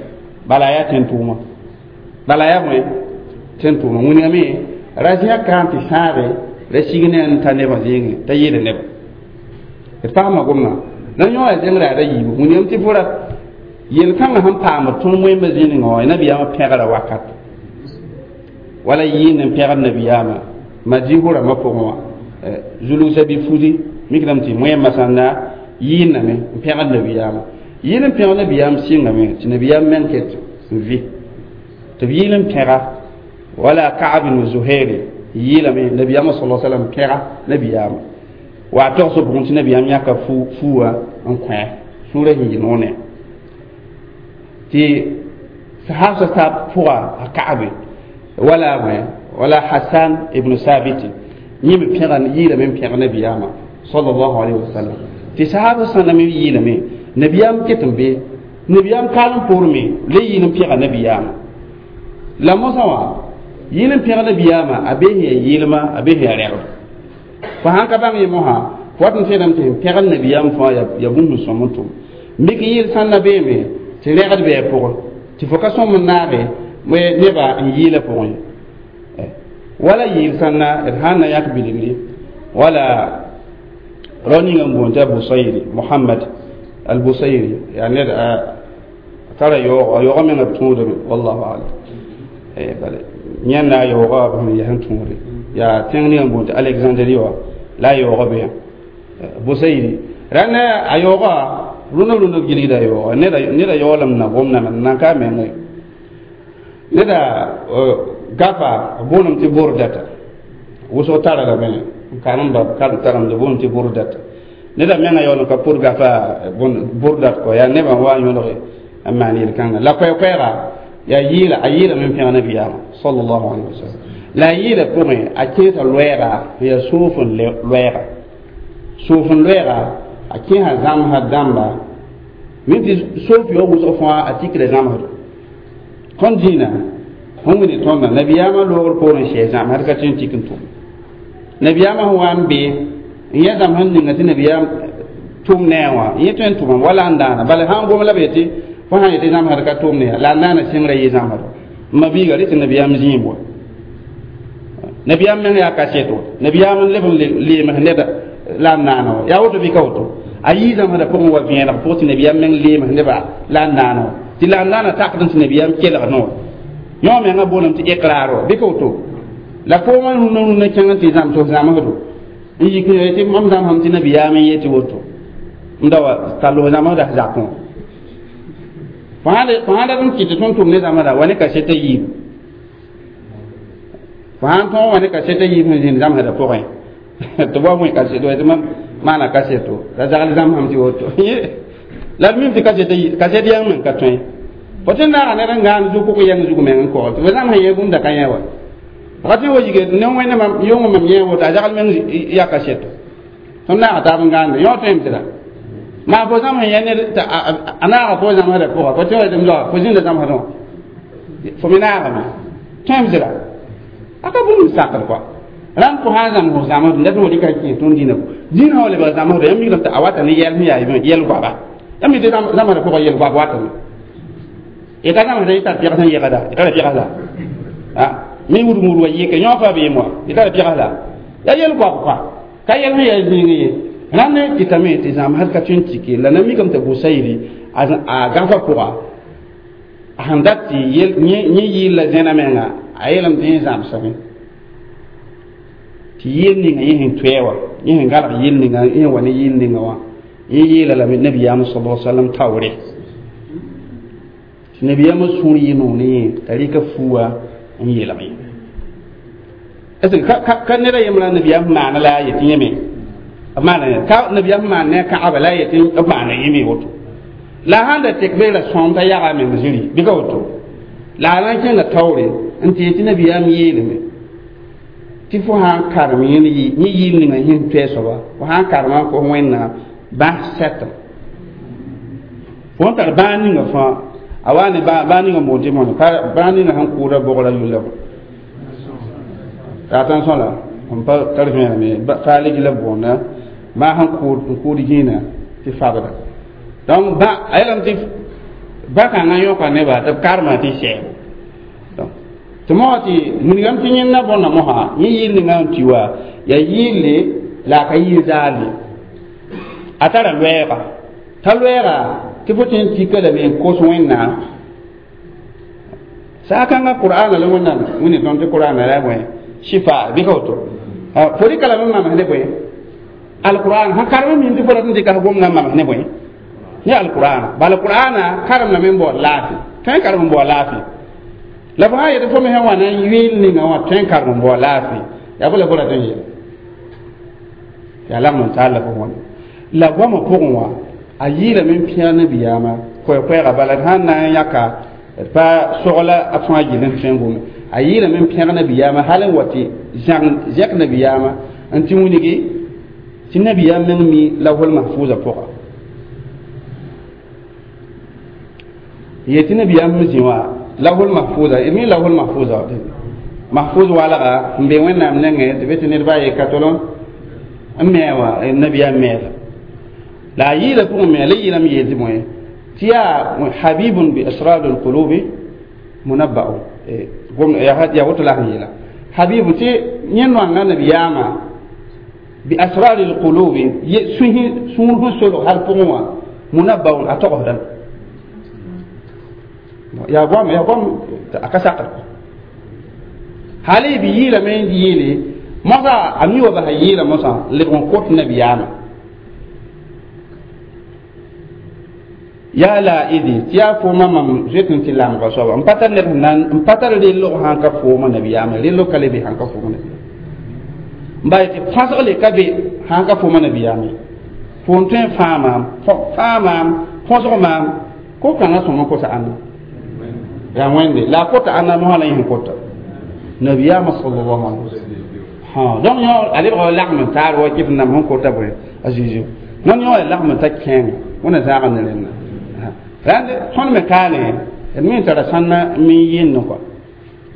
bala yaa tẽn tʋʋma bala yaa bõe tẽn tʋʋma wĩnigame ra zẽka n tɩ sãage ra sig ne n ta nebã zĩigẽ t'a yɩɩda nebã D paama gomdã la yõ yaa zẽngra yaa ra yiibu wilgame tɩ fo ra yel-kãngã sẽn paamd tõnd wẽmba zĩningã wã nabiyaamã pẽgra wakat wala yɩɩnd n pẽgd nabiyaamã madiisg rãmbã pʋgẽ wã zulgsa bɩ fusi mikdame tɩ wẽmba sãn na yɩɩndame n pẽgd nabiyaamã yɩɩl n pẽgd nabiyaam sɩngame tɩ nabiyaam meng ket n vɩ tɩ b yɩɩl n pẽga wala Kaab ibn Zuhairi yɩɩlame nabiyaamã sala sallam pẽga nabiyaamã wa a togsg pʋgẽ tɩ nabiyaam yãka fuuwã n kõ sũurã sẽn yɩ noone tɩ sahab tab pʋga a Kaabe wala wala Hassan ibn Sabit yẽ me pẽga yɩɩlame n pẽg nabiyaamã sallallahu alayhi wa sallam tɩ sahab sãnda me yɩɩlame nabiyaam ket n be nabiyaam kaalem poor me le yɩɩl n pẽga nabiyaamã la mosã wã yɩɩl n pẽg nabiyaamã a bee sẽn yaa yɩɩlma a bee sẽn yaa rɛgd fo sãn ka bãng ye mosã fo wat n tẽedame tɩ sẽn pẽgd nabiyaam fãa yaa bũmb sẽn sõm n tʋm mik yɩɩl sãn na beeme tɩ rɛgd bɩ a pʋgẽ tɩ fo ka sõm n naage nebã n yɩɩlã pʋgẽ ye wala yɩɩl sãnna d sãn na yãk bilgri wala rao ninga n boond tɩ a Busayri Mohamad al-Busayri yaa ned a tara yaoog a yaoogã menga b tũudame wallahu alam bale yẽnda a yaoogã b sẽn yaa sẽn tũude yaa tẽng ninga n boond tɩ Alexandrie wã la a yaoogã be Busayri rãnda a yaoogã rũndã rũndã b gilgda a yaooga neda yaoolem na gomdã nan ka a menga neda gafa booname tɩ Bordata wʋsg tara lame n karem ba karem taremd booname tɩ Bordata neda menga yaool n ka pʋd gafa Bordat kɔ yaa nebã wa n yõlge n maan yel-kãnga la koɛɛ-koɛɛga yaa yɩɩla a yɩɩlame n pẽg nabiyaamã sallallahu alayhi wa sallam la a yɩɩla pʋgẽ a kẽesa loɛɛga n yaa soof n loɛɛga soof n loɛɛga a kẽesa zãmsã dãmba min tɩ soof yaoog wʋsg fãa a tikra zãmsdo tõnd dĩinã sẽn wilg tõndã nabiyaamã loogr poorẽ sɛɛ zãmsd ka tɩ n tik n tʋm nabiyaamã sẽn wa n be n yã zãmsd ninga tɩ nabiyaam tʋm ne a wã yẽ tõe n tʋmame wala n daana bala sã n gom la b yetɩ fo sã n yetɩ zãmsd ka tʋm ne ya la a naana sɩngrã yɩ zãmsdo n ma biiga rɩ tɩ nabiyaam zĩim wa nabiyaam meng yaa kaseto nabiyaam n leb n leems neda la n naana wa yaa woto bɩ ka woto a yii zãmsdã pʋgẽ wa vẽeneg pʋgẽ tɩ nabiyaam meng leems nebã la n naana wa tɩ la n naana takd tɩ nabiyaam kelg noor yõ mengã booname tɩ iqrar wa bɩ ka woto la foomã rũndã rũndã kẽng n tɩ zãms f zãmsdo n yik n tɩ mam zãmsame tɩ nabiyaam n yetɩ woto n da wa tall f zãmsda zakẽ fo sãn dat n kɩt tɩ tõnd tʋm ne zãmsda wa ne kaseta yiib fo sãn tõog wa ne kaseta yiib sẽn zĩnd zãmsda pʋgẽ tɩ b wa wẽ kaseto tɩ mam maana kaseto la zagl zãmsame tɩ woto la d mim tɩ kaseta kaset yãng meng ka tõe fo tɩ naaga ned n gãand zug kʋk yɛng zug meng n kogl tɩ fo zãmsã yẽ bũmb da ka yẽ wa wakati wo yige ne wẽnde mam yʋng mam yẽ woto a zagl meng ya kaseto tõnd naaga taab n gãande yõ tõem tɩ ra maa fo zãmsã yẽ ned a naaga fo zãmsdã pʋga fo tɩ wa tɩ m zoa fo zĩnda zãmsdẽ wã fo me naagame tõem tɩ ra a ka bũmb sakd kɔa rãmb fo sã n zãms f zãmsd la tɩ fo rɩka kẽ tõnd dĩnã dĩnã wã lebg zãmsda yãmb mikdame tɩ a wata ne yɛl sẽn yaa yɛl goaba yãmb mi tɩ zãmsdã pʋgã yɛl goab watame y ka zãmsda y tar pɩgs n yegda y tara pɩgs la mi wudg wudga yɩke yõ fa beem wa y tara pɩgs la yaa yɛl goab kɔa ka yɛl sẽn yaa zĩig ye rãnd n kɩtame tɩ zãmsd ka tõe n tike la na mikame tɩ Busayri a gãfa pʋga a sẽn dat tɩ yẽ yɩɩl la zẽna menga a yeelame tɩ yẽ zãmsame tɩ yɩɩl ninga yẽ sẽn toɛ wã yẽ sẽn galg yɩl ninga yẽ wa ne yɩɩl ninga wã yẽ yeela lame nabiyaam sala sallam taoore tɩ nabiyaamã sũur yɩ noog ne yẽ t'a rɩka fuuwa n yeelg ye est ce que ka ned a yembra nabiyaam maana la a yetɩ yẽme b maana ka nabiyaam maan ne a kãgba la a yetɩ b maana yẽme woto la a sãn da tek beela sõom t'a yaga a meng zĩri bɩ ka woto la a na n kẽnga taoore n tɩ yetɩ nabiyaam yeelame tɩ fo sã n karem yẽ yɩɩl ninga sẽn toɛ soaba fo sã n karema n kos wẽnnaam bãs sɛtem fo n tar bãag ninga fãa a wa ne bãag ninga n boond tɩ mõne bãag ninga sẽn kʋʋda bogra yulla attention la n pa tar vẽeneme faalg la boonda maa sẽn kʋʋd n kʋʋd zĩinã tɩ fabda donc ba a yeelame tɩ ba-kãngã yõka nebã tɩ b karema tɩ sɛɛbo donc tɩ mosã tɩ wilgame tɩ yẽnda bõnda mosã yẽ yɩɩl ninga n tɩ wa yaa yɩɩlle la a ka yɩɩl zaale A tara loɛɛga t'a loɛɛga tɩ fo tõe n tika lame n kos Wẽnnaam saakãngã Qur'ana la Wẽnnaam wẽnd tõnd tɩ Qur'ana la bõe shifa bɩ ka woto fo rɩka lame n mams ne bõe alqur'an sãn karem n mim tɩ fo rat n dɩka f gomdã n mams ne bõe ne alqur'ana bala qur'ana karem lame n baood laafɩ tõe n karem n baood laafɩ la fo sã n yet fo me sẽn wa na n yɩɩl ninga wã tõe n karem n baood laafɩ yaa bõ la fo rat n yeel yaa lagm n taal la fo wãna la goamã pʋgẽ wã a yɩɩlame n pẽeg nabiyaamã koɛɛ-koɛɛga bala d sãn na n yãka d pa sogla a fãa gill n tõe n gome a yɩɩlame n pẽg nabiyaamã hal n wa tɩ zẽk nabiyaamã n tɩ wilgi tɩ nabiyaam meng mi lawhul mahfuuza pʋga yetɩ nabiyaam zĩ wã lawhul mahfuuza d mi lawhul mahfuuza mahfuz walga n be Wẽnnaam nengẽ tɩ be tɩ ned baa ye ka tol n me wã nabiyaam meela la a yɩɩla pʋgẽ me la yɩɩlame yeel tɩ bõe tɩ yaa habibun bi asrar alqulubi munabba'u yaa woto la sẽn yeela habibu tɩ yẽ noanga nabiyaamã bi asrar alqulubi sũur sẽn solg hal pʋgẽ wã munabba'un a togsdame yaa goam yaa goam a ka sakr hal b yɩɩlame n yeele mosã a mi wa basa yɩɩla mosã lebg n kot nabiyaamã yaa la idi tɩ yaa foomã mam zoet n tɩ lamga soaba n pa tar ned n pa tar rellg sãn ka foomã nabiyaamã rellg ka le be sãn ka foomã nabiyaamã n ba tɩ pãsg le ka be sãn ka foomã nabiyaamã fo n tõe n fãa maam fãa maam põsg maam ko-kãngã sõm n kosa ãnna yaa Wẽnde la a kota ãnna mosã la yẽ sẽn kota nabiyaamã sallallahu alaihi wasallam donc yõ a lebga lagm n taar wa kɩf nam sẽn kota bõe a Zeezi non yõ a lagm n ta kẽenga wẽnna zãag ne rẽnna rãnd tõnd me kaane d me n tara sãnna n yɩnd kɔa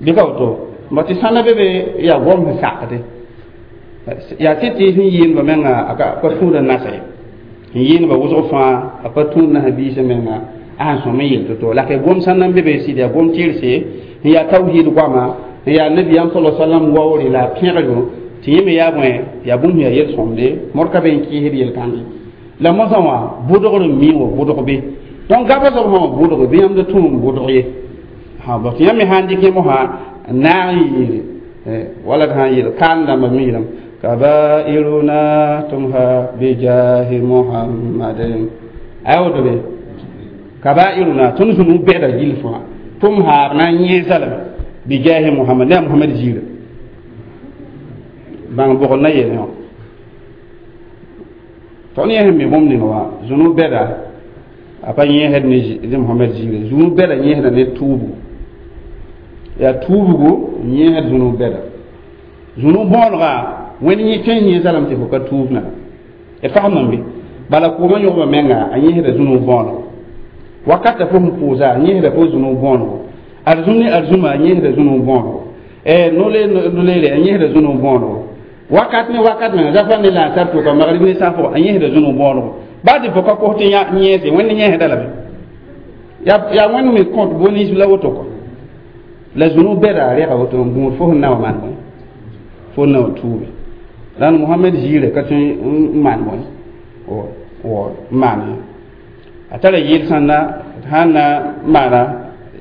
bɩ ka woto ba tɩ sãnna be be yaa gom sẽn sakde yaa tɩ tɩ sẽn yɩɩndba menga a pa tũud n nasa ye n yɩɩndba wʋsg fãa a pa tũud nasã biisã menga a sẽn sõm n yel to-to la ka gom sãnna n be be sɩd yaa gom tɩrse n yaa tawhiid goama n yaa nabiyaam sala sallam waoore la a pẽgdo tɩ yẽ me yaa bõe yaa bũmb yaa yel-sõmde mod ka be n kɩɩsd yel-kãnge la mosã wã bʋdgr n mi wa bʋdg be donc gaba soab sã wã bʋdg bɩ yãmb da tũ n bʋdg ye tɩ yãmb me sã n dɩk yẽ mosã n naag n yɩɩre wala d sã n yeel kaan dãmba miirame kabairuna tumha bijahi muhammadin ay woto be kabairuna tõnd zũnu bɛda gill fãa tumha b na n yẽesa lame bijahi muhammad ne a Muhammad ziira bãng bʋgd na yeel yõ tõnd yẽ sẽn mi bũmb ninga wã zũnu bɛda a pa yẽesd ne Muhammad ziira zũnu bɛda yẽesda ne tuubgo yaa tuubgo n yẽesd zũnu bɛda zũnu bõonega Wẽnd yẽ tõe n yẽesa lame tɩ fo ka tuubna d fasemame be bala kʋʋmã yõgba menga a yẽesda zũnu bõonego wakata fo sẽn pʋʋsa a yẽesda fo zũnu bõonego arzũm ne arzũma a yẽesda zũnu bõonego nole noleere a yẽesda zũnu bõonego wakat ne wakat menga zafa ne la n tar tʋka magrib ne sã pʋgã a yẽesda zũnu bõonego baa tɩ fo ka kos tɩ yẽese Wẽnd yẽesda lame yaa Wẽnd me kõt bõe-ninsb la woto kɔ la zũnu bɛda a rɛga woto n gũud fo sẽn na wã maan bõe fo na wã tuube rãnd Mohamed ziirã ka tõe n maan bõe n maan ye a tara yɩɩl sãnda sãn na maana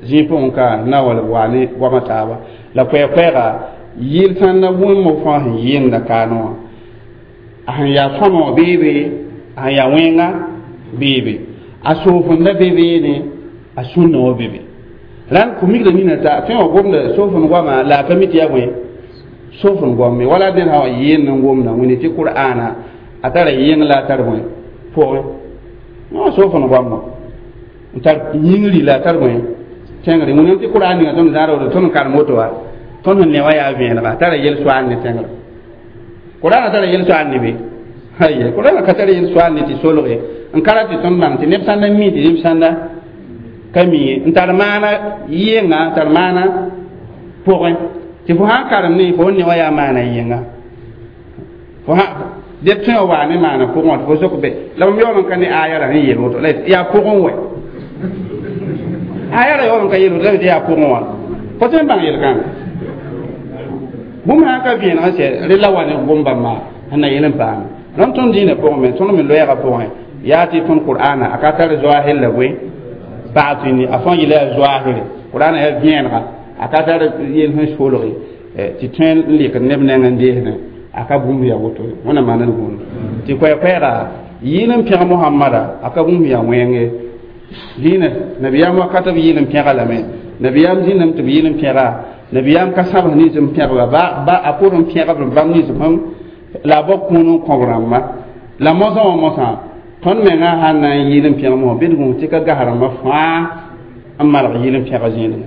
zĩig pʋgẽ ka na wa waa ne goamã taaba la koɛɛ-koɛɛga yɩɩl sãnda wẽmmo fãa sẽn yɩɩnda kaanẽ wã a sẽn yaa sõama wã beebe a sẽn yaa wẽnga beebe a soofenda be beene a sũnna wã be be rãnd kʋ-migrã nina t'a tõe wã gomda soofend goama la a pa mi tɩ yaa bõe soofend goam me wala ned sã wa yɩɩnd n gomda wẽnde tɩ Qur'ana a tara yɩng la a tar bõe pʋgẽ no soofend goammo n tar yĩngri la a tar bõe tẽngre wẽnnaam tɩ Qur'an ninga tõnd zãad woto tõnd n karem woto wa tõnd sẽn ne wã yaa vẽenega a tara yel-soaand ne tẽngrã Qur'ana tara yel-soaand ne be aye Qur'ana ka tara yel-soaand ne tɩ solge n ka rat tɩ tõnd bãng tɩ neb sãn na mi tɩ neb sãnda ka mi ye n tar maana yɩnga n tar maana pʋgẽ tɩ fo sãn karem ne fo ne wã yaa maana yɩnga fo dẽ tõe wã waa ne maana pʋgẽ wã tɩ fo sok be la mam yaool n ka ne aya ra sẽn yel woto la yaa pʋgẽ wɛ aya ra yaool n ka yel woto la tɩ yaa pʋgẽ wã fo tõe n bãng yel-kãnga bũmb sãn ka vẽeneg n sɛ rẽ la wa ne gom bãmba sẽn na yel n paame Rãmb tõnd dĩinã pʋgẽ me, tõnd me loɛɛgã pʋgẽ, yaa tɩ tõnd Qur'ana a ka tar zoahir la bõe baatini, a fãa yɩla yaa zoahire. Qur'ana yaa vẽenega, a ka tar yel sẽn solge tɩ tõe n lɩkd neb neng n deesdẽ, a ka bũmb yaa woto. Wẽnnaam maan d gũud tɩ koɛɛ-koɛɛga yɩɩl n pẽg Mohamada, a ka bũmb yaa wẽnge dĩinã. Nabiyaam wakat b yɩɩl n pẽga lame, nabiyaam zĩndame tɩ b yɩɩl n pẽga, nabiyaam ka sãbs nins n pẽgba ba ba a pʋr n pẽgb bãmb nins sẽn la a bao kũun n kõb rãmba. La mosã wã mosã tõnd menga sãn na n yɩɩl n pẽg mosã bɩ d gũus tɩ ka gas rãmbã fãa n malg yɩɩl n pẽga zĩigẽ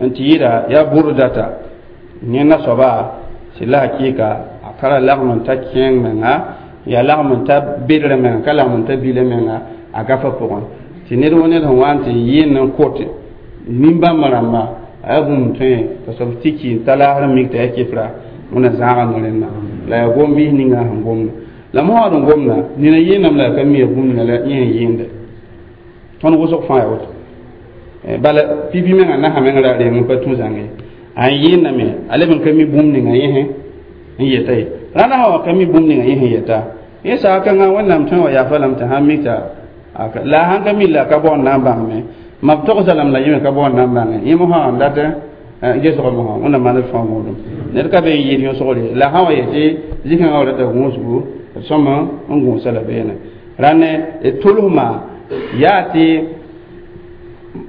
n tɩ yɩɩda yaa burdata yẽ nasoaba tɩ la hakɩɩka a tara lagm n ta kẽeng menga, yaa lagm n ta bedrã menga, ka lagm n ta bilã menga, a gafa pʋgẽ tɩ ned wo ned sẽn wa n tɩ yɩɩnd n kot nin-bãmb rãmba a yaa bũmb tõe t'a soab tɩ ki n ta laasr mik t'a yaa kɩfra wẽnna zãaga no-rẽnda la yaa gom-biis ninga sẽn gomda la mosã d gomda nina yɩɩndame la a ka mi ya bũmb ninga la yẽ sẽn yɩɩnde. Tõnd wʋsg fãa yaa woto bala pipi menga nasã meng ra reng n pa tũ zãnge a n yɩɩndame, a leb n ka mi bũmb ninga yẽ n yeta ye. Rãnd sã wa ka mi bũmb ninga yẽ sẽn yeta yẽ saaka kãngã, Wẽnnaam tõe wa yafa lame tɩ sãn mik t'a la a sãn ka mi la a ka baoond na n bãngme ma b togsa lame la yẽ me ka baoond na n bãnge yẽ mosã n dat gesg mosã. Wẽnnaam maan d fãa gũudum. Ned ka be n yɩɩd yõsgre la sã wa yetɩ zĩ-kãngã wa rata gũusgu sõma n gũusa la beene rãnd d tʋlsma yaa tɩ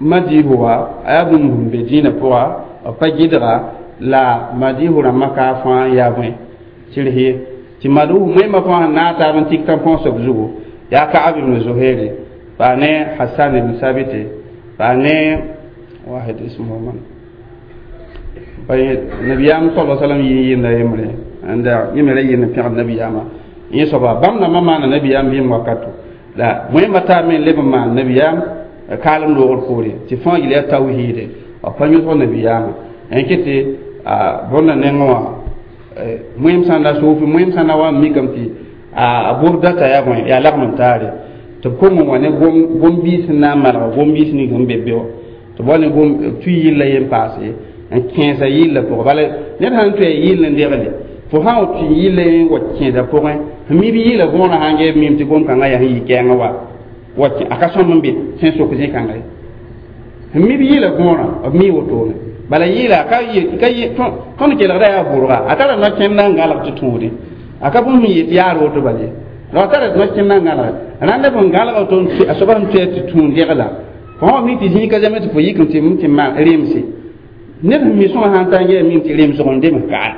madiifu wa a yaa bũmb sẽn be dĩinã pʋga b pa gɩdga la madiifu rãmbã ka fãa yaa bõe sɩrs ye tɩ madiifu moẽmã fãa sẽn naag taab n tik tãn-põosb zugu yaa Kaab ibn Zuhairi pa ne Hassan ibn Sabite pa ne واحد اسمه من nabiyaam sala salam yɩ yɩnda yembre anda yẽ me ra yɩnd n pẽgd nabiyaamã yẽ soaba bãmb nambã maana nabiyaam vɩɩm wakato la wẽmba taa me n leb n maan nabiyaam kaalem loogr poore tɩ fãa yɩl yaa tawhiide b pa yõsg nabiyaamã n ket tɩ bõnda nengẽ wã moẽm sã n na soofi moẽm sã n na wa n mikame tɩ a burdata yaa bõe yaa lagm n taare tɩ b kong n wa ne gom-biis sẽn na n malga gom-biis ning sẽn be be wã tɩ b wa ne gom tui yilla yen paase n kẽesa yillã pʋgẽ. Bala ned sãn tʋ a yill n degle fo sã wa tũ yilla n wa kẽesa pʋgẽ sẽn mi b yɩɩla võorã sãn gee mim tɩ gom-kãngã yaa sẽn yɩ kɛɛngã wa wa a ka sõm n be sẽn sok zĩ-kãnga ye sẽn mi b yɩɩla võorã b mi wotone. Bala yɩɩla ka ka tõnd kelgda yaa bʋrga a tara no-kẽnd n gãlg tɩ tũudẽ a ka bũmb sẽn yet yaar woto bal ye la a tara no-kẽnd n gãlg rãnd b n gãlg to a soaba sẽn tʋ tɩ tũud degla fo wã mi tɩ zĩig ka zame tɩ fo yik n tɩ tɩ maan remse ned sẽn mi sõma sãn ta n gee mim tɩ remsg n dems kaa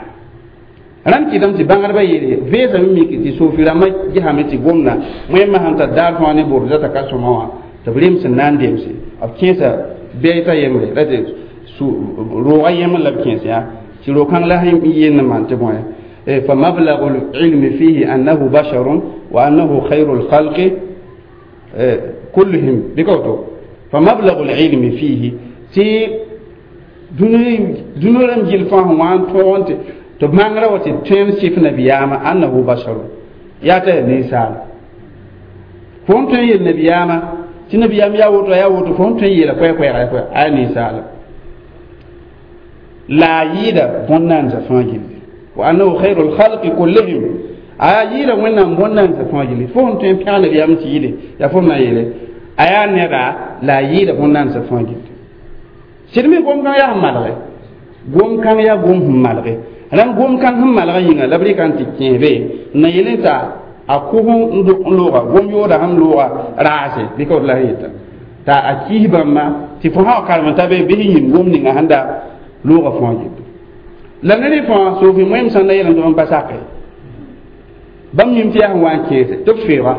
rãnd kɩtame tɩ bãngdbã yeele vẽesame mik tɩ sofi rãmbã gesame tɩ gomda wẽmã sãn tar daar fãa ne bordata ka sõma wã tɩ b rems n na n demse b kẽesa bɛɛta yembre ra tɩ roogã yemr la b kẽes yaa tɩ ro-kãng la sẽn yend n maan tɩ bõe فمبلغ العلم فيه أنه بشر وأنه خير الخلق كلهم بكوتو فمبلغ العلم فيه تي dũniyã gil fãa sẽn wa n tõog tɩ tɩ b mangrã wa tɩ tõe n sɩf nabiyaamã أنه بشر yaa t'a yaa ninsaal fo n tõe n yel nabiyaamã tɩ nabiyaam yaa woto yaa woto fo n tõe n yeela koɛ-koɛɛga a yaa ninsaala la a yɩɩda bõn-naandsã fãa gilli وأنه خير الخلق كلهم a yaa yɩɩda Wẽnnaam bõn-naandsã fãa gilli fo sẽn tõe n pẽg nabiyaam tɩ yɩle yaa fo m na n yeele a yaa neda la a yɩɩda bõn-naandsã fãa gilli sɩd me gom-kãng yaa sẽn malge gom-kãng yaa gom sẽn malge rãnd gom-kãng sẽn malgã yĩnga la b rɩka n tɩ kẽesbe n na yel t'a a kʋs n looga gom yooda sẽn looga raase bɩ ka la sẽn yeta t'a a kis bãmba tɩ fo sã wa karem t'a be bɩ sẽn yĩm gom ninga sẽn da looga fãa gilli la ned fãa sofi moẽm sãn na yel n tɩ pa sake bãmb yĩm tɩ yaa sẽn wa n kẽese tɩ b feoogã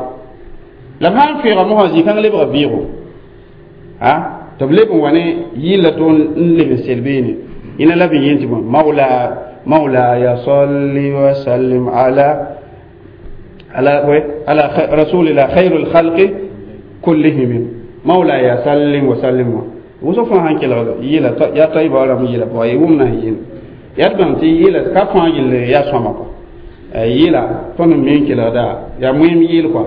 la b sã n feoogã mosã zĩ-kãng lebga vɩɩgo a tɩ b leb n wa ne yɩlla to n leb n sel beene ĩna la b yẽ tɩ bõe mawla مولاي صل وسلم على على على رسول الله خير الخلق كلهم مولاي سلم وسلم wʋsg fãa sãn kelg yɩla yaa taɩba rãmb yɩla pʋga ye wʋmna sẽn yɩl yaa d bãng tɩ yɩla ka fãa yell yaa sõma kɔ yɩla tõnd n me n kelgda yaa moẽm yɩɩl kɔa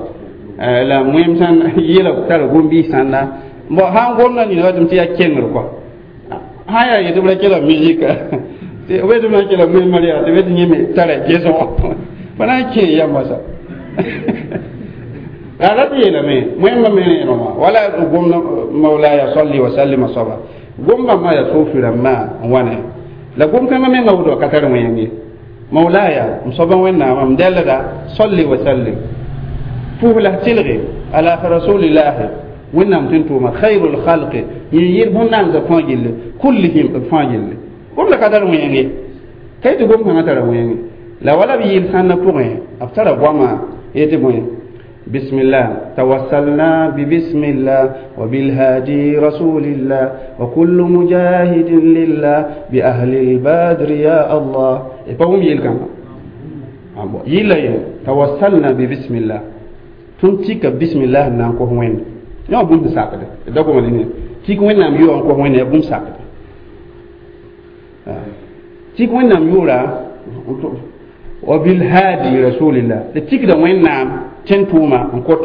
la moẽm sãn yɩla tara gom-biis sãnda bon sãn gomda nina watɩm tɩ yaa kengr kɔa sã yaa yetɩ b ra kelg musique b tɩ b na n kelg moẽm yaa tɩ be tɩ yẽ me tara gesgo. Pa na n kẽ yamba sa la rat yeelame wẽmba me rẽenegã wala gomd mawlaya salli wa sallima soaba gom bãmba yaa sofi rãmbã n wa ne la gom kãngã menga woto ka tar wẽng ye mawlaya m soaba wẽnnaamã m dɛlda salli wa sallim pʋʋs la tɩlge ala rasulillahi wẽnnaam tɩ n tʋʋma khairul khalqi yẽ yɩl bõn-nansã fãa gilli kullihim b fãa gilli gom la ka tar wẽng ye ka yetɩ gom kãngã tara wẽng la wala b yɩl sãnna pʋgẽ b tara goama yetɩ bõe بسم الله توسلنا ببسم الله وبالهادي رسول الله وكل مجاهد لله بأهل البدر يا الله فهم يلكم يلا توسلنا ببسم الله تنتيك بسم الله نانكو وين يا بوم ساكت دغو مدينه تيك وين نام يو انكو وين يا بوم ساكت تيك وين نام يورا وبالهادي رسول الله تيك دا وين نام tẽn tʋʋma n kõt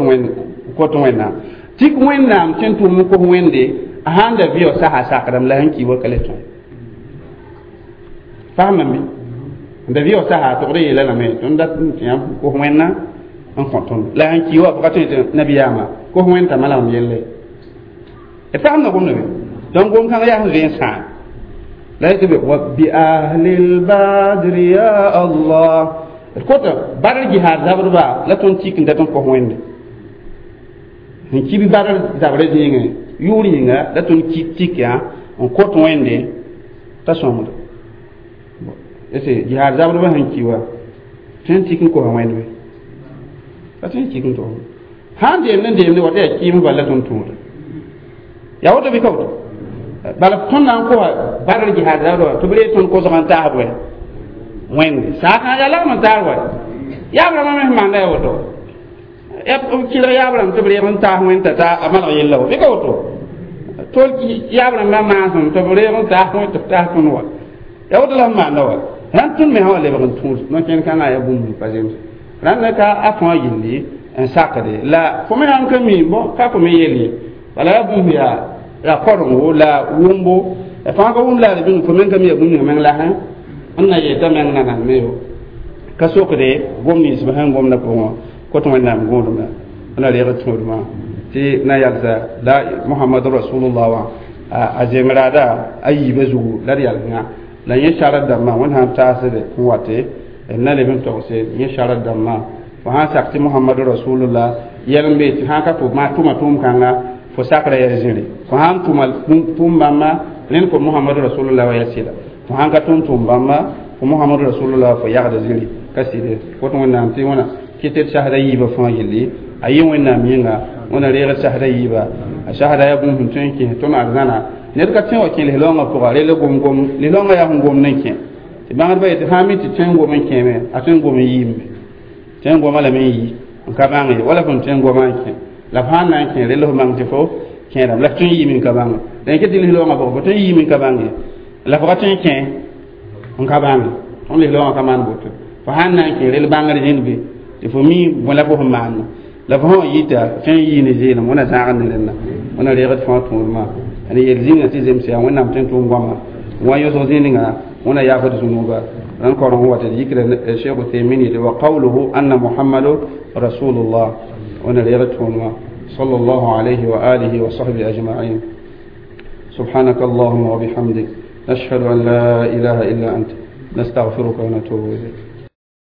wẽnnaam tɩk wẽnnaam tẽn tʋʋm n kos wẽnde a sãn da vɩ sasa sakdame la sẽn ki wa ka le tõe faamame n da vɩ sasa togd yeela lame tõnd dat n tɩ yãmb kos wẽnna n kõ tõnd la sẽn ki wa ka tõe tɩ nabiyaamã kos wẽnd t'a malgem yelle d faamda gomda be donc gom kãngã yaa sẽn zoe n sãam la yetɩ be wa bi ahlil badri ya allah d kota badr jihad zabdba la tõnd tik n dat n kos wẽnde n kib badr zabrã zĩigẽ yʋʋr yĩnga la tõnd tik yã n kõt wẽnde t'a sõngda ese jihad zabdba sẽn ki wa tõe n tik n kosa wẽnd be ka tõe n tik n tog sãn deemd n deemde wa tɩ yaa kɩɩms bal la tõnd tũuda yaa woto bɩ ka woto bala tõnd na n kosa badr jihad zabdba tɩ b reeg tõnd kosg n taas bõe wẽnde saakã yaa lagm n taar wa yaab rãmbã me sẽn maanda yaa woto b kɩlg yaab rãmb tɩ b reeg n taas wẽnd t'a ta a malg yella wa bɩ ka woto tol yaab rãmbã maasem tɩ b reeg n taas wẽnd tɩ b taas tõnd wa yaa woto la sẽn maanda wa rãnd tõnd me sã wa lebg n tũud no-kẽnd kãngã yaa bũmb pa zems rãnd ka a fãa gilli n sakde la fo me sãn ka mi bõ ka fo me yel ye bala yaa bũmb yaa yaa korengo la wʋmbo fãa ka wʋm la d bĩng fo meng ka mi yaa bũmb ninga meng la n na yeta meng nanam me yo ka sokde gom nins b sẽn gomda pʋgẽ kot wẽnnaam gõodmã na reeg tũudmã tɩ na yalsa la mohamad rasulullah wã a zemraada a yiibã zugu la d yalsngã la yẽ sharat dãmbã wẽnd sãn taasde n wate n na leb n togse yẽ sharat dãmbã fo sãn sak tɩ mohamad rasulullah yɛl n be tɩ sãn ka fo maa tʋma tʋʋm-kãnga fo sakra yaa zĩri fo sãn tʋma tʋʋm bãmba rẽnd fo mohamad rasulullah wa yaa sɩda fo sãn ka tʋm tʋʋm bãmba fo mohamad rasulullah fo yagda zĩri ka sɩde fo tɩ wẽnnaam tɩ wẽna kɩ tɩ d sasda yiibã fãa gilli a yɩ wẽnnaam yĩnga wẽna reeg sasda yiiba a sasda yaa bũmb sẽn tõe n kẽs tõnd arzãna ned ka tõe wa kẽ lislaoongã pʋga rel gom-gom lislaoongã yaa sẽn gomd n kẽ tɩ bãngdbã yetɩ sãn mi tɩ tõe n gom n kẽeme a tõe n gom n yiime tõe n goma lame n yi n ka bãng ye wala fõn tõe n goma n kẽ la f sãn na n kẽ rel f bãng tɩ fo kẽedame la f tõe n yiime n ka bãnge la yẽ tɩ lislaoongã pʋgã fo tõe n yiime n ka bãng ye la f ka tõe n kẽ n ka bãnge tõnd lislaoongã ka maan boto fo sãn na n kẽ rel bãngr zĩnd be tɩ fo mi bõe la fo sẽn maanda la fo sã yita tõe n yii ne zeelem wẽna zãagd ne rẽnda wẽna reegd fãa tũudmã ani yel zĩnga tɩ zems yaa wẽnnaam tõe n tʋʋm goama wã yõsg zĩnga wẽna yaafd zũnuba rãnd koreng wata d yikra cheikh uthaymin yetɩ wa qawluhu anna muhammadu rasulullah wẽna reegd tũudmã صلى الله عليه وآله وصحبه أجمعين سبحانك اللهم وبحمدك نشهد أن لا إله إلا أنت نستغفرك ونتوب إليك.